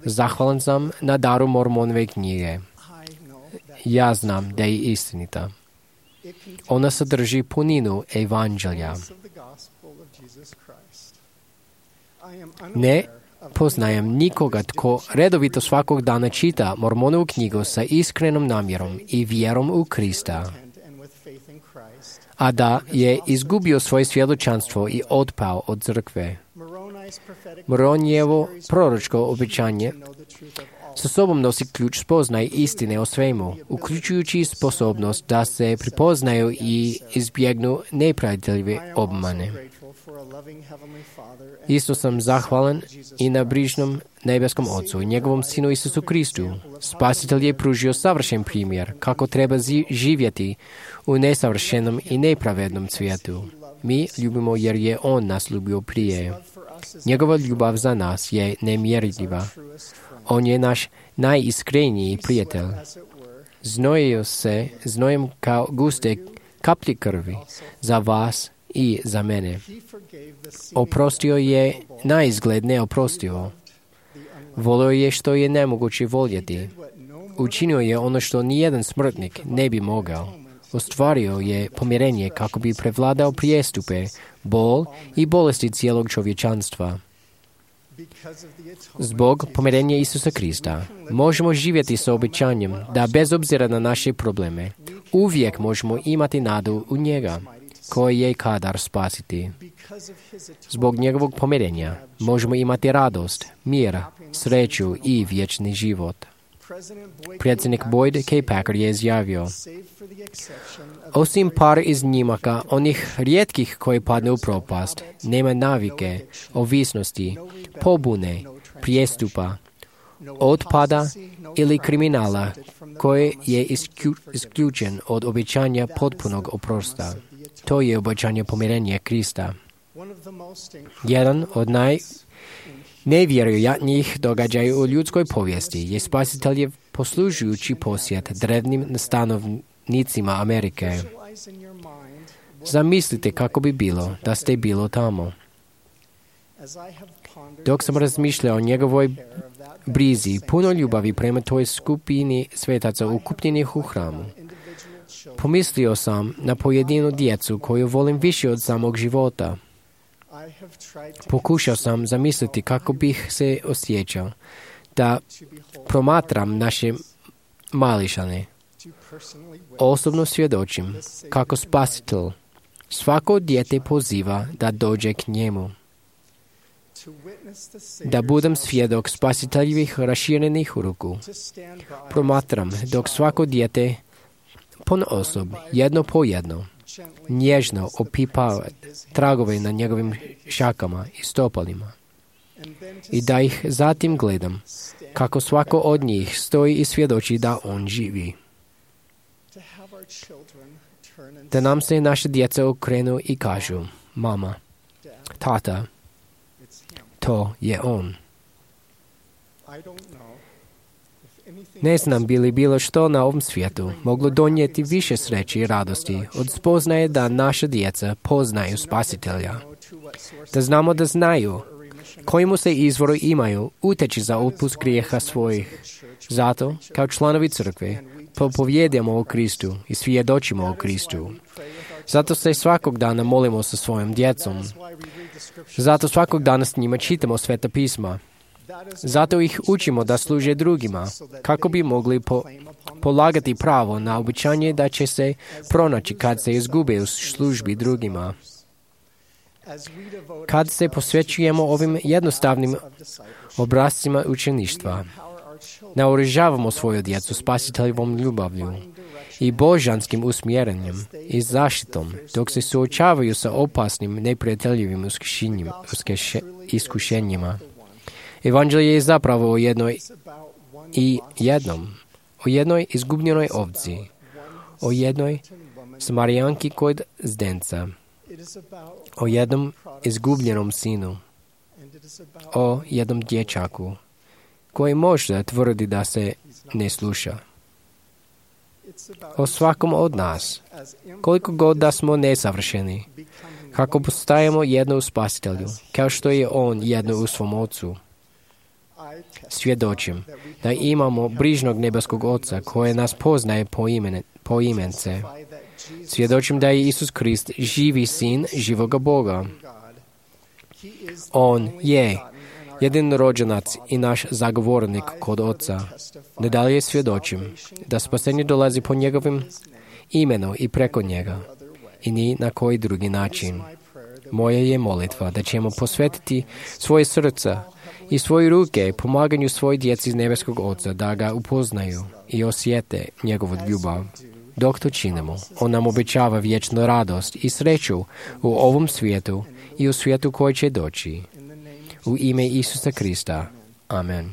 Zahvalan sam na daru Mormonove knjige. Ja znam da je istinita. Ona sadrži puninu evanđelja. Ne poznajem nikoga tko redovito svakog dana čita Mormonovu knjigu sa iskrenom namjerom i vjerom u Krista, a da je izgubio svoje svjedočanstvo i otpao od crkve. Moronijevo proročko obećanje sa sobom nosi ključ spoznaje istine o svemu, uključujući sposobnost da se prepoznaju i izbjegnu nepravdljive obmane. Isto sam zahvalan i na brižnom nebeskom Ocu i njegovom Sinu Isusu Kristu. Spasitelj je pružio savršen primjer kako treba živjeti u nesavršenom i nepravednom svijetu. Mi ljubimo jer je On nas ljubio prije. Njegova ljubav za nas je nemjerljiva. On je naš najiskreniji prijatelj. Znojio se znojem kao guste kaplje krvi za vas i za mene. Oprostio je na izgled neoprostivo. Volio je što je nemoguće voljeti. Učinio je ono što nijedan smrtnik ne bi mogao. Ostvario je pomirenje kako bi prevladao prijestupe, bol i bolesti cijelog čovječanstva. Zbog pomirenja Isusa Krista možemo živjeti sa obećanjem da bez obzira na naše probleme uvijek možemo imati nadu u njega, koji je kadar spasiti. Zbog njegovog pomirenja možemo imati radost, mir, sreću i vječni život. Predsjednik Boyd K. Packer je izjavio: osim par iznimaka, onih rijetkih koji padnu u propast, nema navike, ovisnosti, pobune, prijestupa, otpada ili kriminala koji je isključen od obećanja potpunog oprosta. To je obećanje pomirenja Krista. Jedan od najnevjerojatnijih događaja u ljudskoj povijesti je Spasiteljev poslužujući posjet drevnim stanovnicima Amerike. Zamislite kako bi bilo da ste bilo tamo. Dok sam razmišljao o njegovoj brizi, puno ljubavi prema toj skupini svetaca ukupljenih u hramu, pomislio sam na pojedinu djecu koju volim više od samog života. Pokušao sam zamisliti kako bih se osjećao da promatram naše mališane. Osobno svjedočim kako Spasitelj svako dijete poziva da dođe k njemu. Da budem svjedok Spasiteljevih raširenih ruku. Promatram dok svako dijete ponaosob, jedno po jedno, nježno opipava tragove na njegovim šakama i stopalima. I da ih zatim gledam, kako svako od njih stoji i svjedoči da on živi. Da nam se naše djeca okrenu i kažu: mama, tata, to je on. Ne znam bi li bilo što na ovom svijetu moglo donijeti više sreće i radosti od spoznaje da naša djeca poznaju Spasitelja. Da znaju kojemu se izvoru imaju uteći za otpust grijeha svojih. Zato, kao članovi crkve, propovjedujemo o Kristu i svjedočimo o Kristu. Zato se svakog dana molimo sa svojom djecom. Zato svakog dana s njima čitamo Sveta pisma. Zato ih učimo da služe drugima, kako bi mogli polagati pravo na obećanje da će se pronaći kad se izgube u službi drugima. Kad se posvećujemo ovim jednostavnim obrascima učeništva, naoružavamo svoju djecu spasiteljevom ljubavlju i božanskim usmjerenjem i zaštitom, dok se suočavaju sa opasnim, neprijateljivim iskušenjima. Evanđelje je zapravo o jednoj izgubljenoj ovci, o jednoj Samarijanki kod zdenca, o jednom izgubljenom sinu, o jednom dječaku koji možda tvrdi da se ne sluša. O svakom od nas, koliko god da smo nesavršeni, kako postajemo jedno u Spasitelju, kao što je On jedno u svom Ocu. Svjedočim da imamo brižnog nebeskog Oca koje nas poznaje po imence. Svjedočim da je Isus Krist živi sin živoga Boga. On je jedinorođenac i naš zagovornik kod Oca. Nadalje svjedočim da spasenje dolazi po njegovim imenu i preko njega i ni na koji drugi način. Moja je molitva da ćemo posvetiti svoje srca i svoje ruke pomaganju svoj djeci iz nebeskog Oca da ga upoznaju i osjete njegovu ljubav. Dok to činimo, On nam obećava vječnu radost i sreću u ovom svijetu i u svijetu koji će doći. U ime Isusa Krista. Amen.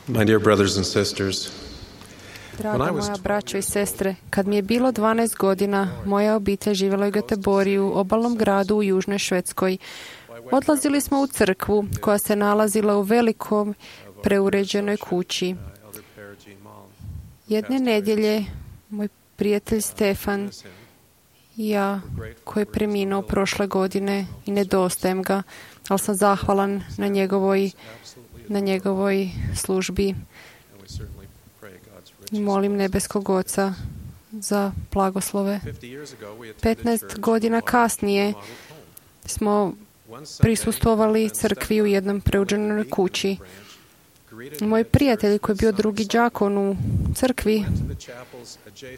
My dear brothers and sisters, Draga moja braćo i sestre, kad mi je bilo 12 godina, moja obitelj živjela u Göteborgu, obalnom gradu u južnoj Švedskoj. Odlazili smo u crkvu koja se nalazila u velikom preuređenoj kući. Jedne nedjelje moj prijatelj Stefan i ja, koji je preminuo prošle godine i nedostajem ga, ali sam zahvalan na njegovoj službi. I molim nebeskog Oca za blagoslove. 15 godina kasnije smo prisustvovali crkvi u jednom preuređenoj kući. Moj prijatelj, koji je bio drugi đakon u crkvi,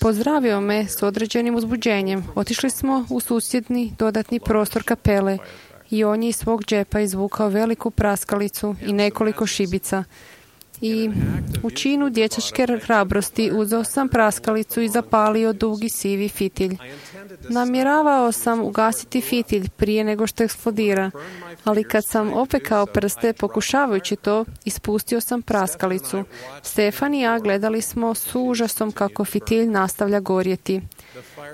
pozdravio me s određenim uzbuđenjem. Otišli smo u susjedni dodatni prostor kapele i on je iz svog džepa izvukao veliku praskalicu i nekoliko šibica. I u činu dječačke hrabrosti uzeo sam praskalicu i zapalio dugi sivi fitilj. Namjeravao sam ugasiti fitilj prije nego što eksplodira, ali kad sam opekao prste pokušavajući to, ispustio sam praskalicu. Stefan i ja gledali smo s užasom kako fitilj nastavlja gorjeti.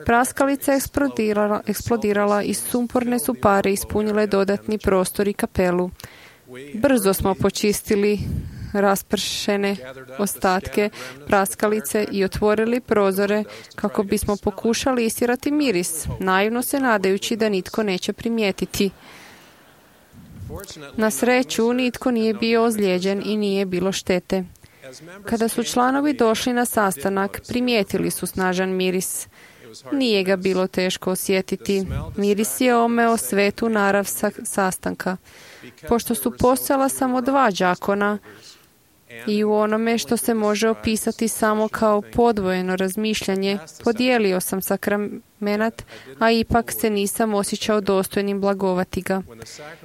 Praskalica je eksplodirala i sumporne su pare ispunile dodatni prostor i kapelu. Brzo smo počistili raspršene ostatke praskalice i otvorili prozore kako bismo pokušali istjerati miris, naivno se nadajući da nitko neće primijetiti. Na sreću, nitko nije bio ozlijeđen i nije bilo štete. Kada su članovi došli na sastanak, primijetili su snažan miris. Nije ga bilo teško osjetiti. Miris je omeo svetu narav sastanka. Pošto su postojala samo 2 đakona, i u onome što se može opisati samo kao podvojeno razmišljanje, podijelio sam sakramenat, a ipak se nisam osjećao dostojnim blagovati ga.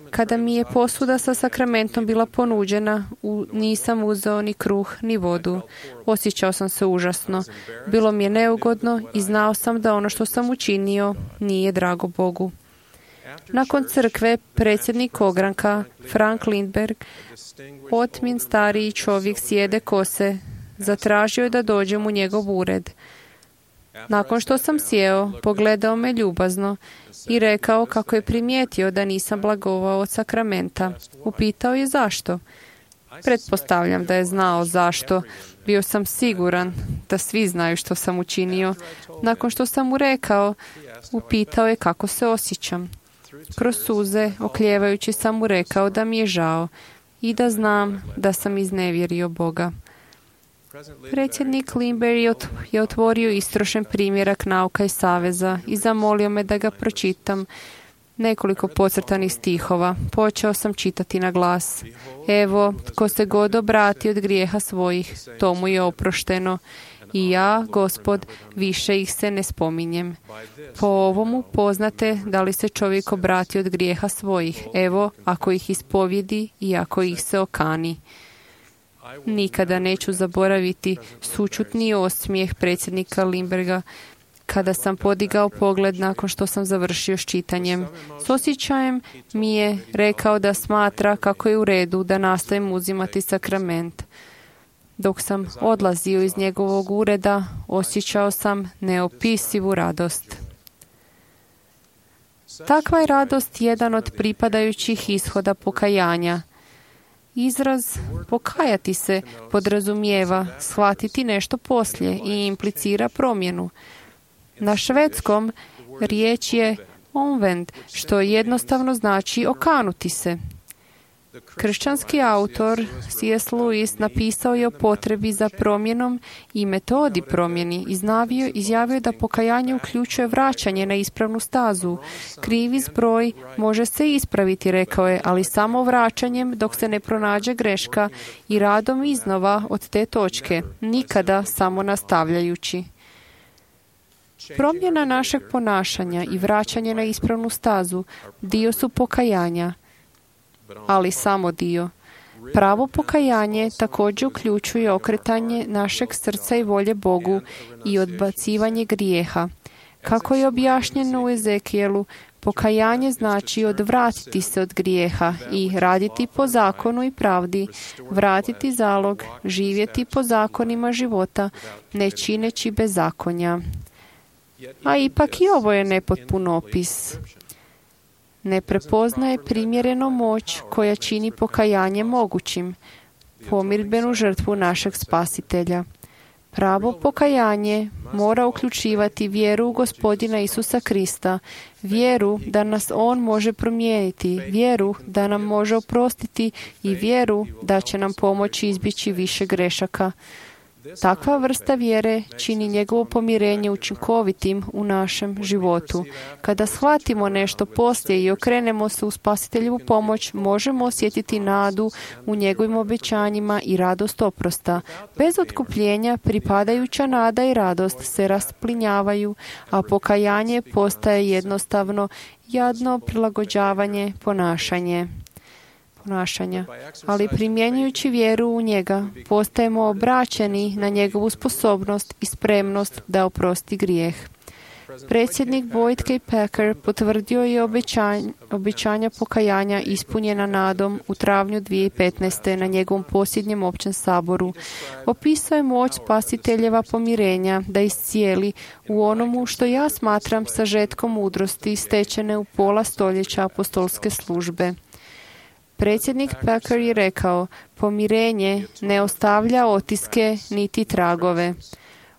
Kada mi je posuda sa sakramentom bila ponuđena, nisam uzeo ni kruh ni vodu. Osjećao sam se užasno. Bilo mi je neugodno i znao sam da ono što sam učinio nije drago Bogu. Nakon crkve, predsjednik ogranka, Frank Lindberg, otmin stariji čovjek sjede kose, zatražio je da dođem u njegov ured. Nakon što sam sjeo, pogledao me ljubazno i rekao kako je primijetio da nisam blagovao od sakramenta. Upitao je zašto. Pretpostavljam da je znao zašto. Bio sam siguran da svi znaju što sam učinio. Nakon što sam mu rekao, upitao je kako se osjećam. Kroz suze, oklijevajući, sam mu rekao da mi je žao i da znam da sam iznevjerio Boga. Predsjednik Lindberg je otvorio istrošen primjerak Nauka i saveza i zamolio me da ga pročitam nekoliko podcrtanih stihova. Počeo sam čitati na glas. Evo, tko se god obrati od grijeha svojih, to mu je oprošteno. I ja, Gospod, više ih se ne spominjem. Po ovomu poznate da li se čovjek obrati od grijeha svojih. Evo, ako ih ispovjedi i ako ih se okani. Nikada neću zaboraviti sućutni osmijeh predsjednika Lindberga kada sam podigao pogled nakon što sam završio s čitanjem. S osjećajem mi je rekao da smatra kako je u redu da nastavim uzimati sakrament. Dok sam odlazio iz njegovog ureda, osjećao sam neopisivu radost. Takva je radost jedan od pripadajućih ishoda pokajanja. Izraz pokajati se podrazumijeva shvatiti nešto poslije i implicira promjenu. Na švedskom riječ je omvend, što jednostavno znači okanuti se. Kršćanski autor C.S. Lewis napisao je o potrebi za promjenom i metodi promjeni. Izjavio je da pokajanje uključuje vraćanje na ispravnu stazu. Krivi zbroj može se ispraviti, rekao je, ali samo vraćanjem dok se ne pronađe greška i radom iznova od te točke, nikada samo nastavljajući. Promjena našeg ponašanja i vraćanje na ispravnu stazu dio su pokajanja, ali samo dio. Pravo pokajanje također uključuje okretanje našeg srca i volje Bogu i odbacivanje grijeha. Kako je objašnjeno u Ezekijelu, Pokajanje znači odvratiti se od grijeha i raditi po zakonu i pravdi, vratiti zalog, živjeti po zakonima života, ne čineći bezakonja. A ipak i ovo je nepotpun opis. Ne prepoznaje primjereno moć koja čini pokajanje mogućim, pomirbenu žrtvu našeg Spasitelja. Pravo pokajanje mora uključivati vjeru u Gospodina Isusa Krista, vjeru da nas On može promijeniti, vjeru da nam može oprostiti i vjeru da će nam pomoći izbjeći više grešaka. Takva vrsta vjere čini njegovo pomirenje učinkovitim u našem životu. Kada shvatimo nešto poslije i okrenemo se u Spasiteljevu pomoć, možemo osjetiti nadu u njegovim obećanjima i radost oprosta. Bez otkupljenja pripadajuća nada i radost se rasplinjavaju, a pokajanje postaje jednostavno jadno prilagođavanje ponašanja. Ali primjenjujući vjeru u njega, postajemo obraćeni na njegovu sposobnost i spremnost da oprosti grijeh. Predsjednik Boyd K. Packer potvrdio je obećanja pokajanja ispunjena nadom u travnju 2015. na njegovom posljednjem općem saboru. Opisao je moć Spasiteljeva pomirenja da iscijeli u onomu što ja smatram sažetkom mudrosti stečene u pola stoljeća apostolske službe. Predsjednik Packer je rekao, pomirenje ne ostavlja otiske niti tragove.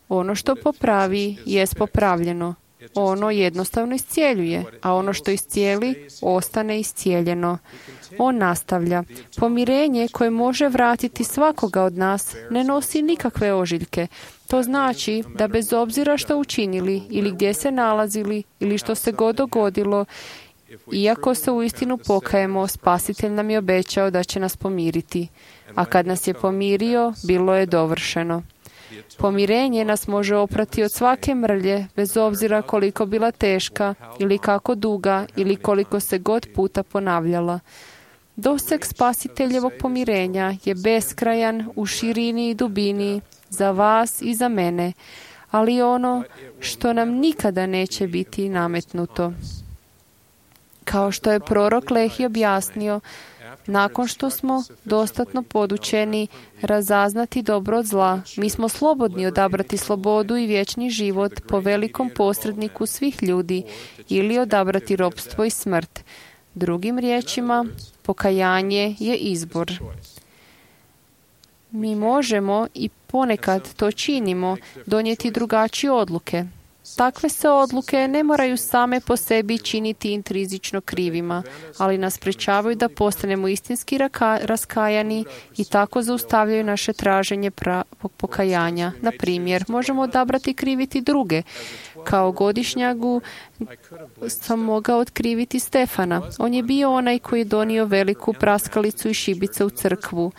Ono što popravi jest popravljeno. Ono jednostavno iscijeljuje, a ono što iscijeli ostane iscijeljeno. On nastavlja. Pomirenje koje može vratiti svakoga od nas ne nosi nikakve ožiljke. To znači da bez obzira što učinili ili gdje se nalazili ili što se god dogodilo, iako se uistinu pokajemo, Spasitelj nam je obećao da će nas pomiriti. A kad nas je pomirio, bilo je dovršeno. Pomirenje nas može oprati od svake mrlje, bez obzira koliko bila teška, ili kako duga, ili koliko se god puta ponavljala. Doseg Spasiteljevog pomirenja je beskrajan u širini i dubini za vas i za mene, ali ono što nam nikada neće biti nametnuto. Kao što je prorok Lehi objasnio, nakon što smo dostatno podučeni razaznati dobro od zla, mi smo slobodni odabrati slobodu i vječni život po velikom posredniku svih ljudi ili odabrati ropstvo i smrt. Drugim riječima, pokajanje je izbor. Mi možemo i ponekad to činimo donijeti drugačije odluke. Takve se odluke ne moraju same po sebi činiti intrizično krivima, ali nas sprečavaju da postanemo istinski raskajani i tako zaustavljaju naše traženje pokajanja. Na primjer, možemo odabrati kriviti druge. Kao godišnjagu sam mogao otkriviti Stefana. On je bio onaj koji je donio veliku praskalicu i šibice u crkvu.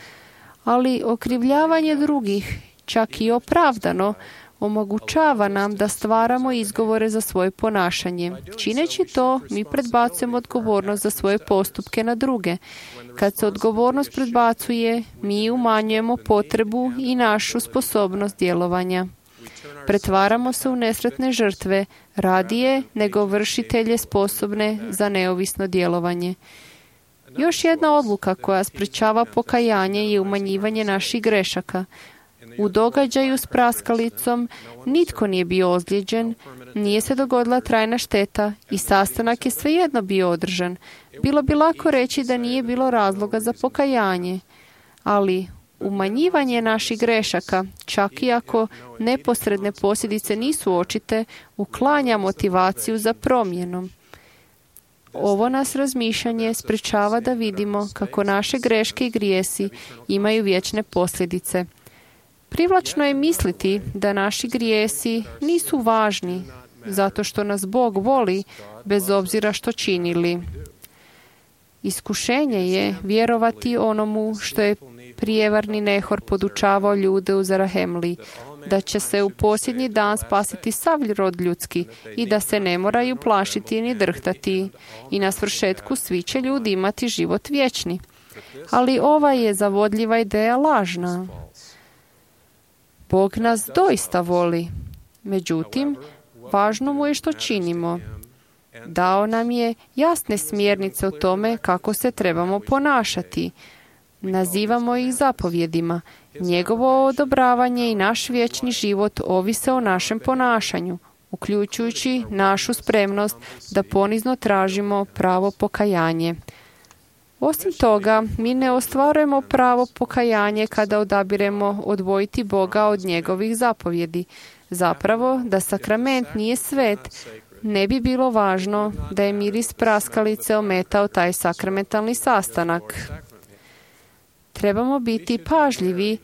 Ali okrivljavanje drugih, čak i opravdano, omogućava nam da stvaramo izgovore za svoje ponašanje. Čineći to, mi predbacujemo odgovornost za svoje postupke na druge. Kad se odgovornost predbacuje, mi umanjujemo potrebu i našu sposobnost djelovanja. Pretvaramo se u nesretne žrtve, radije nego vršitelje sposobne za neovisno djelovanje. Još jedna odluka koja sprečava pokajanje je umanjivanje naših grešaka. U događaju s praskalicom nitko nije bio ozlijeđen, nije se dogodila trajna šteta i sastanak je svejedno bio održan. Bilo bi lako reći da nije bilo razloga za pokajanje, ali umanjivanje naših grešaka, čak i ako neposredne posljedice nisu očite, uklanja motivaciju za promjenom. Ovo nas razmišljanje sprečava da vidimo kako naše greške i grijesi imaju vječne posljedice. Privlačno je misliti da naši grijesi nisu važni zato što nas Bog voli bez obzira što činili. Iskušenje je vjerovati onomu što je prijevarni Nehor podučavao ljude u Zarahemli, da će se u posljednji dan spasiti sav rod ljudski i da se ne moraju plašiti ni drhtati i na svršetku svi će ljudi imati život vječni. Ali ova je zavodljiva ideja lažna. Bog nas doista voli. Međutim, važno mu je što činimo. Dao nam je jasne smjernice o tome kako se trebamo ponašati. Nazivamo ih zapovjedima. Njegovo odobravanje i naš vječni život ovise o našem ponašanju, uključujući našu spremnost da ponizno tražimo pravo pokajanje. Osim toga, mi ne ostvarujemo pravo pokajanje kada odabiremo odvojiti Boga od njegovih zapovjedi. Zapravo, da sakrament nije svet, ne bi bilo važno da je miris praskalice ometao taj sakramentalni sastanak. Trebamo biti pažljivi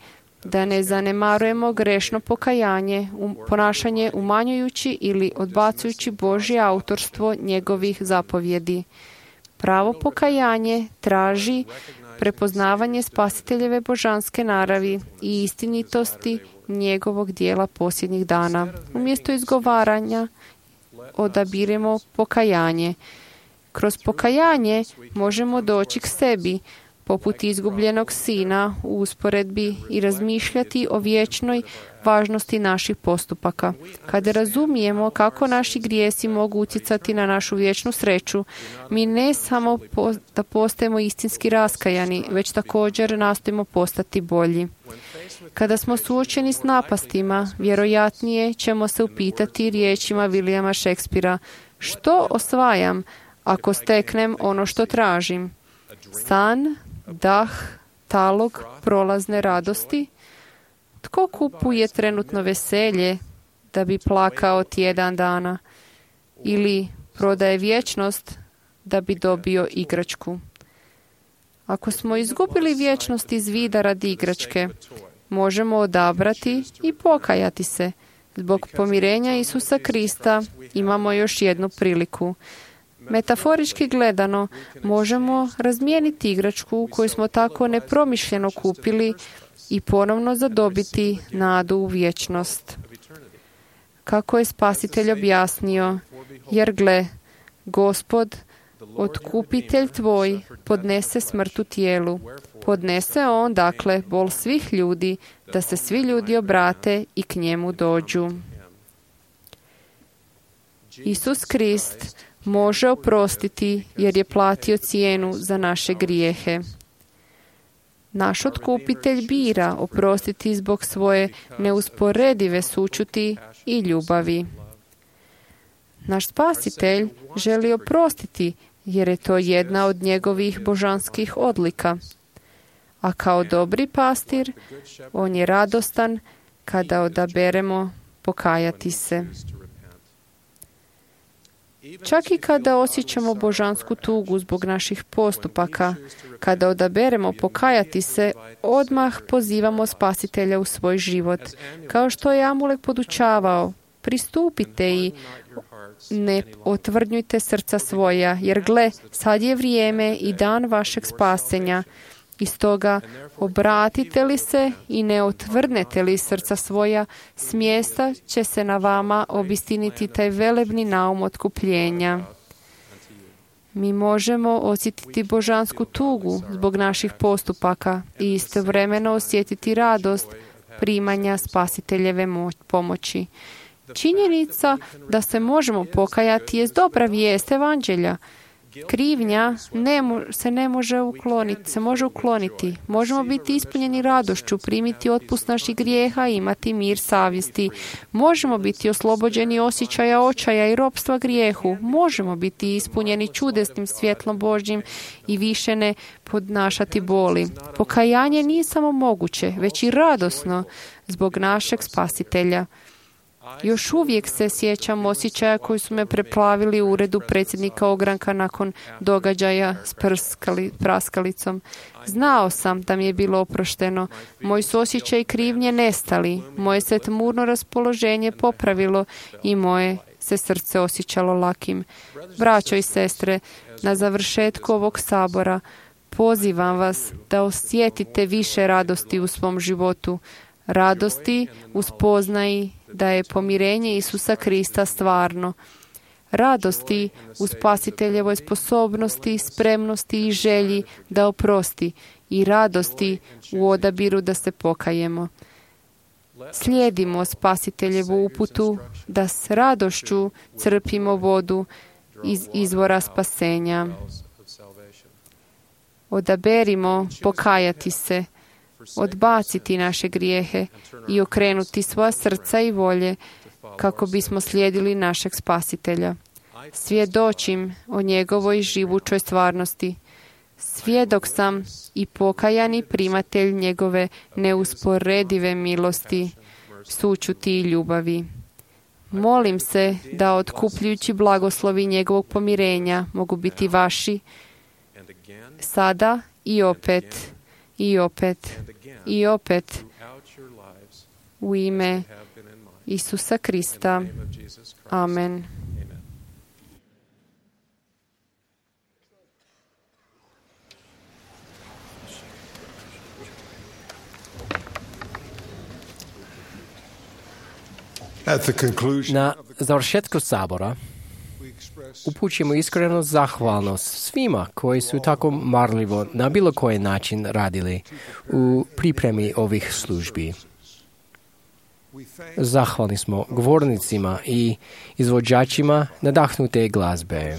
da ne zanemarujemo grešno pokajanje, ponašanje umanjujući ili odbacujući Božje autorstvo njegovih zapovjedi. Pravo pokajanje traži prepoznavanje spasiteljeve božanske naravi i istinitosti njegovog dijela posljednjih dana. Umjesto izgovaranja odabiremo pokajanje. Kroz pokajanje možemo doći k sebi, poput izgubljenog sina u usporedbi i razmišljati o vječnoj važnosti naših postupaka. Kada razumijemo kako naši grijesi mogu utjecati na našu vječnu sreću, mi ne samo da postajemo istinski raskajani, već također nastojimo postati bolji. Kada smo suočeni s napastima, vjerojatnije ćemo se upitati riječima Williama Shakespearea: što osvajam ako steknem ono što tražim? San, dah, talog prolazne radosti? Tko kupuje trenutno veselje da bi plakao tjedan dana? Ili prodaje vječnost da bi dobio igračku? Ako smo izgubili vječnost iz vida radi igračke, možemo odabrati i pokajati se. Zbog pomirenja Isusa Krista imamo još jednu priliku. Metaforički gledano, možemo razmijeniti igračku koju smo tako nepromišljeno kupili i ponovno zadobiti nadu u vječnost. Kako je Spasitelj objasnio: jer gle, Gospod, otkupitelj tvoj, podnese smrt u tijelu. Podnese on, dakle, bol svih ljudi, da se svi ljudi obrate i k njemu dođu. Isus Krist može oprostiti jer je platio cijenu za naše grijehe. Naš otkupitelj bira oprostiti zbog svoje neusporedive sućuti i ljubavi. Naš Spasitelj želi oprostiti jer je to jedna od njegovih božanskih odlika. A kao dobri pastir, on je radostan kada odaberemo pokajati se. Čak i kada osjećamo božansku tugu zbog naših postupaka, kada odaberemo pokajati se, odmah pozivamo Spasitelja u svoj život. Kao što je Amulek podučavao: pristupite i ne otvrdnjujte srca svoja, jer gle, sad je vrijeme i dan vašeg spasenja. I stoga, obratite li se i ne otvrdnete li srca svoja, smjesta će se na vama obistiniti taj velebni naum otkupljenja. Mi možemo osjetiti božansku tugu zbog naših postupaka i istovremeno osjetiti radost primanja Spasiteljeve pomoći. Činjenica da se možemo pokajati je dobra vijest evanđelja. Krivnja se može ukloniti. Možemo biti ispunjeni radošću, primiti otpust naših grijeha i imati mir savjesti. Možemo biti oslobođeni osjećaja očaja i ropstva grijehu. Možemo biti ispunjeni čudesnim svjetlom Božjim i više ne podnašati boli. Pokajanje nije samo moguće, već i radosno zbog našeg Spasitelja. Još uvijek se sjećam osjećaja koji su me preplavili u uredu predsjednika ogranka nakon događaja s praskalicom. Znao sam da mi je bilo oprošteno. Moji su osjećaji krivnje nestali. Moje se tmurno raspoloženje popravilo i moje se srce osjećalo lakim. Braćo i sestre, na završetku ovog sabora pozivam vas da osjetite više radosti u svom životu. Radosti u spoznaji da je pomirenje Isusa Krista stvarno. Radosti u Spasiteljevoj sposobnosti, spremnosti i želji da oprosti i radosti u odabiru da se pokajemo. Slijedimo Spasiteljevu uputu da s radošću crpimo vodu iz izvora spasenja. Odaberimo pokajati se, odbaciti naše grijehe i okrenuti svoja srca i volje kako bismo slijedili našeg Spasitelja. Svjedočim o njegovoj živućoj stvarnosti. Svjedok sam i pokajani primatelj njegove neusporedive milosti, sućuti i ljubavi. Molim se da otkupljujući blagoslovi njegovog pomirenja mogu biti vaši sada i opet, i opet, i opet u ime Isusa Krista. Amen. Na završetku sabora upućujemo iskrenu zahvalnost svima koji su tako marljivo na bilo koji način radili u pripremi ovih službi. Zahvalni smo govornicima i izvođačima nadahnute glazbe.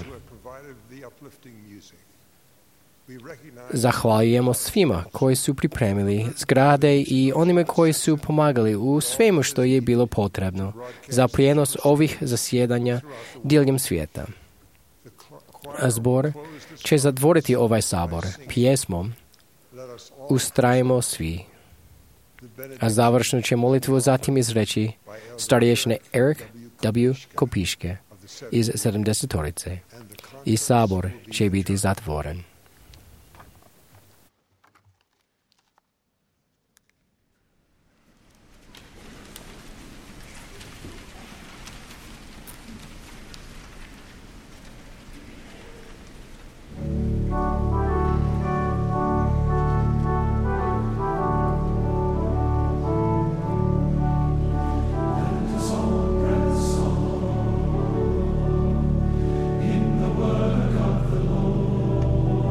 Zahvaljujemo svima koji su pripremili zgrade i onime koji su pomagali u svemu što je bilo potrebno za prijenos ovih zasjedanja diljem svijeta. Zbor će zatvoriti ovaj sabor pjesmom Ustrajmo svi. A završnu će molitvu zatim izreći starješine Eric W. Kopiške iz 70-torice. I sabor će biti zatvoren. In the work of the Lord.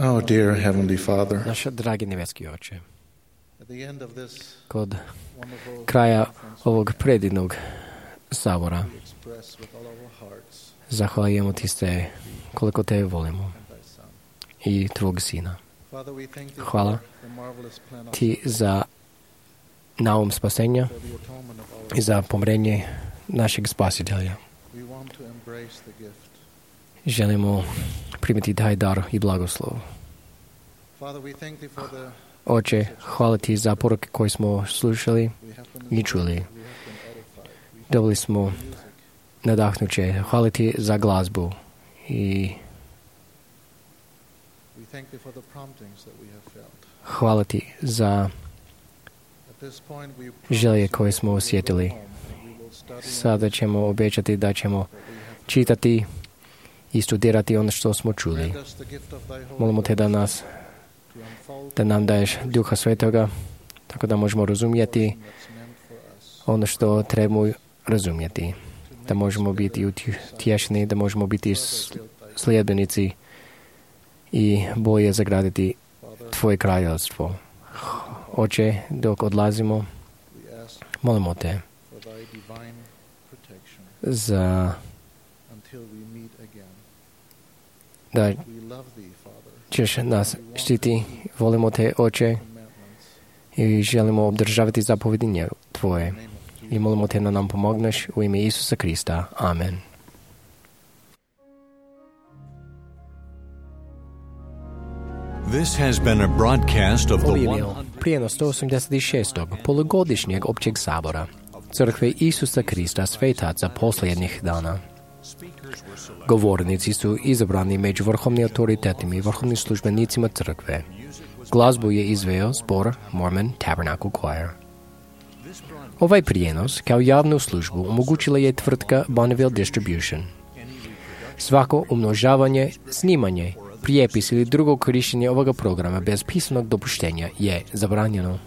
Oh, dear Heavenly Father, Naš dragi nebeski Oče, at the end of this kod wonderful kraja ovog predivnog sabora we express with all our hearts zahvaljujemo ti se koliko te volimo and thy Son. i tvog sina. Father, we thank thee Hvala for the marvelous plan of ti za naum spasenja for the atonement of our i za pomrenje našeg spasitelja. We want to embrace the gift. Želimo primiti taj dar i blagoslov. Father, we thank thee for the Oče, hvala ti za poruke koje smo slušali we have been i čuli. we have been edified. We Dobili smo nadahnuće. Hvala ti za glazbu i we thank thee for the promptings that we have felt. hvala ti za At this point we želje koje smo osjetili. Sada ćemo obećati da ćemo čitati i studirati ono što smo čuli. Molimo te da nam daješ Duha Svetoga, tako da možemo razumjeti ono što trebamo razumjeti. Da možemo biti utješni, da možemo biti sljedbenici i bolje zagraditi tvoje kraljevstvo. Oče, dok odlazimo, molimo te za da ćeš nas štiti. Volimo te, Oče, i želimo obdržavati zapovjedinje tvoje. I molimo te da nam pomogneš u ime Isusa Krista. Amen. This has been a broadcast of Ovo the je one. bio prijenos 186. polugodišnjeg općeg sabora Crkve Isusa Krista svetaca posljednjih dana. Govornici su izabrani među vrhovnim autoritetima i vrhovnim službenicima crkve. Glazbu je izveo zbor Mormon Tabernacle Choir. Ovaj prijenos kao javnu službu omogućila je tvrtka Bonneville Distribution. Svako umnožavanje, snimanje, prijepis ili drugo korištenje ovoga programa bez pisanog dopuštenja je zabranjeno.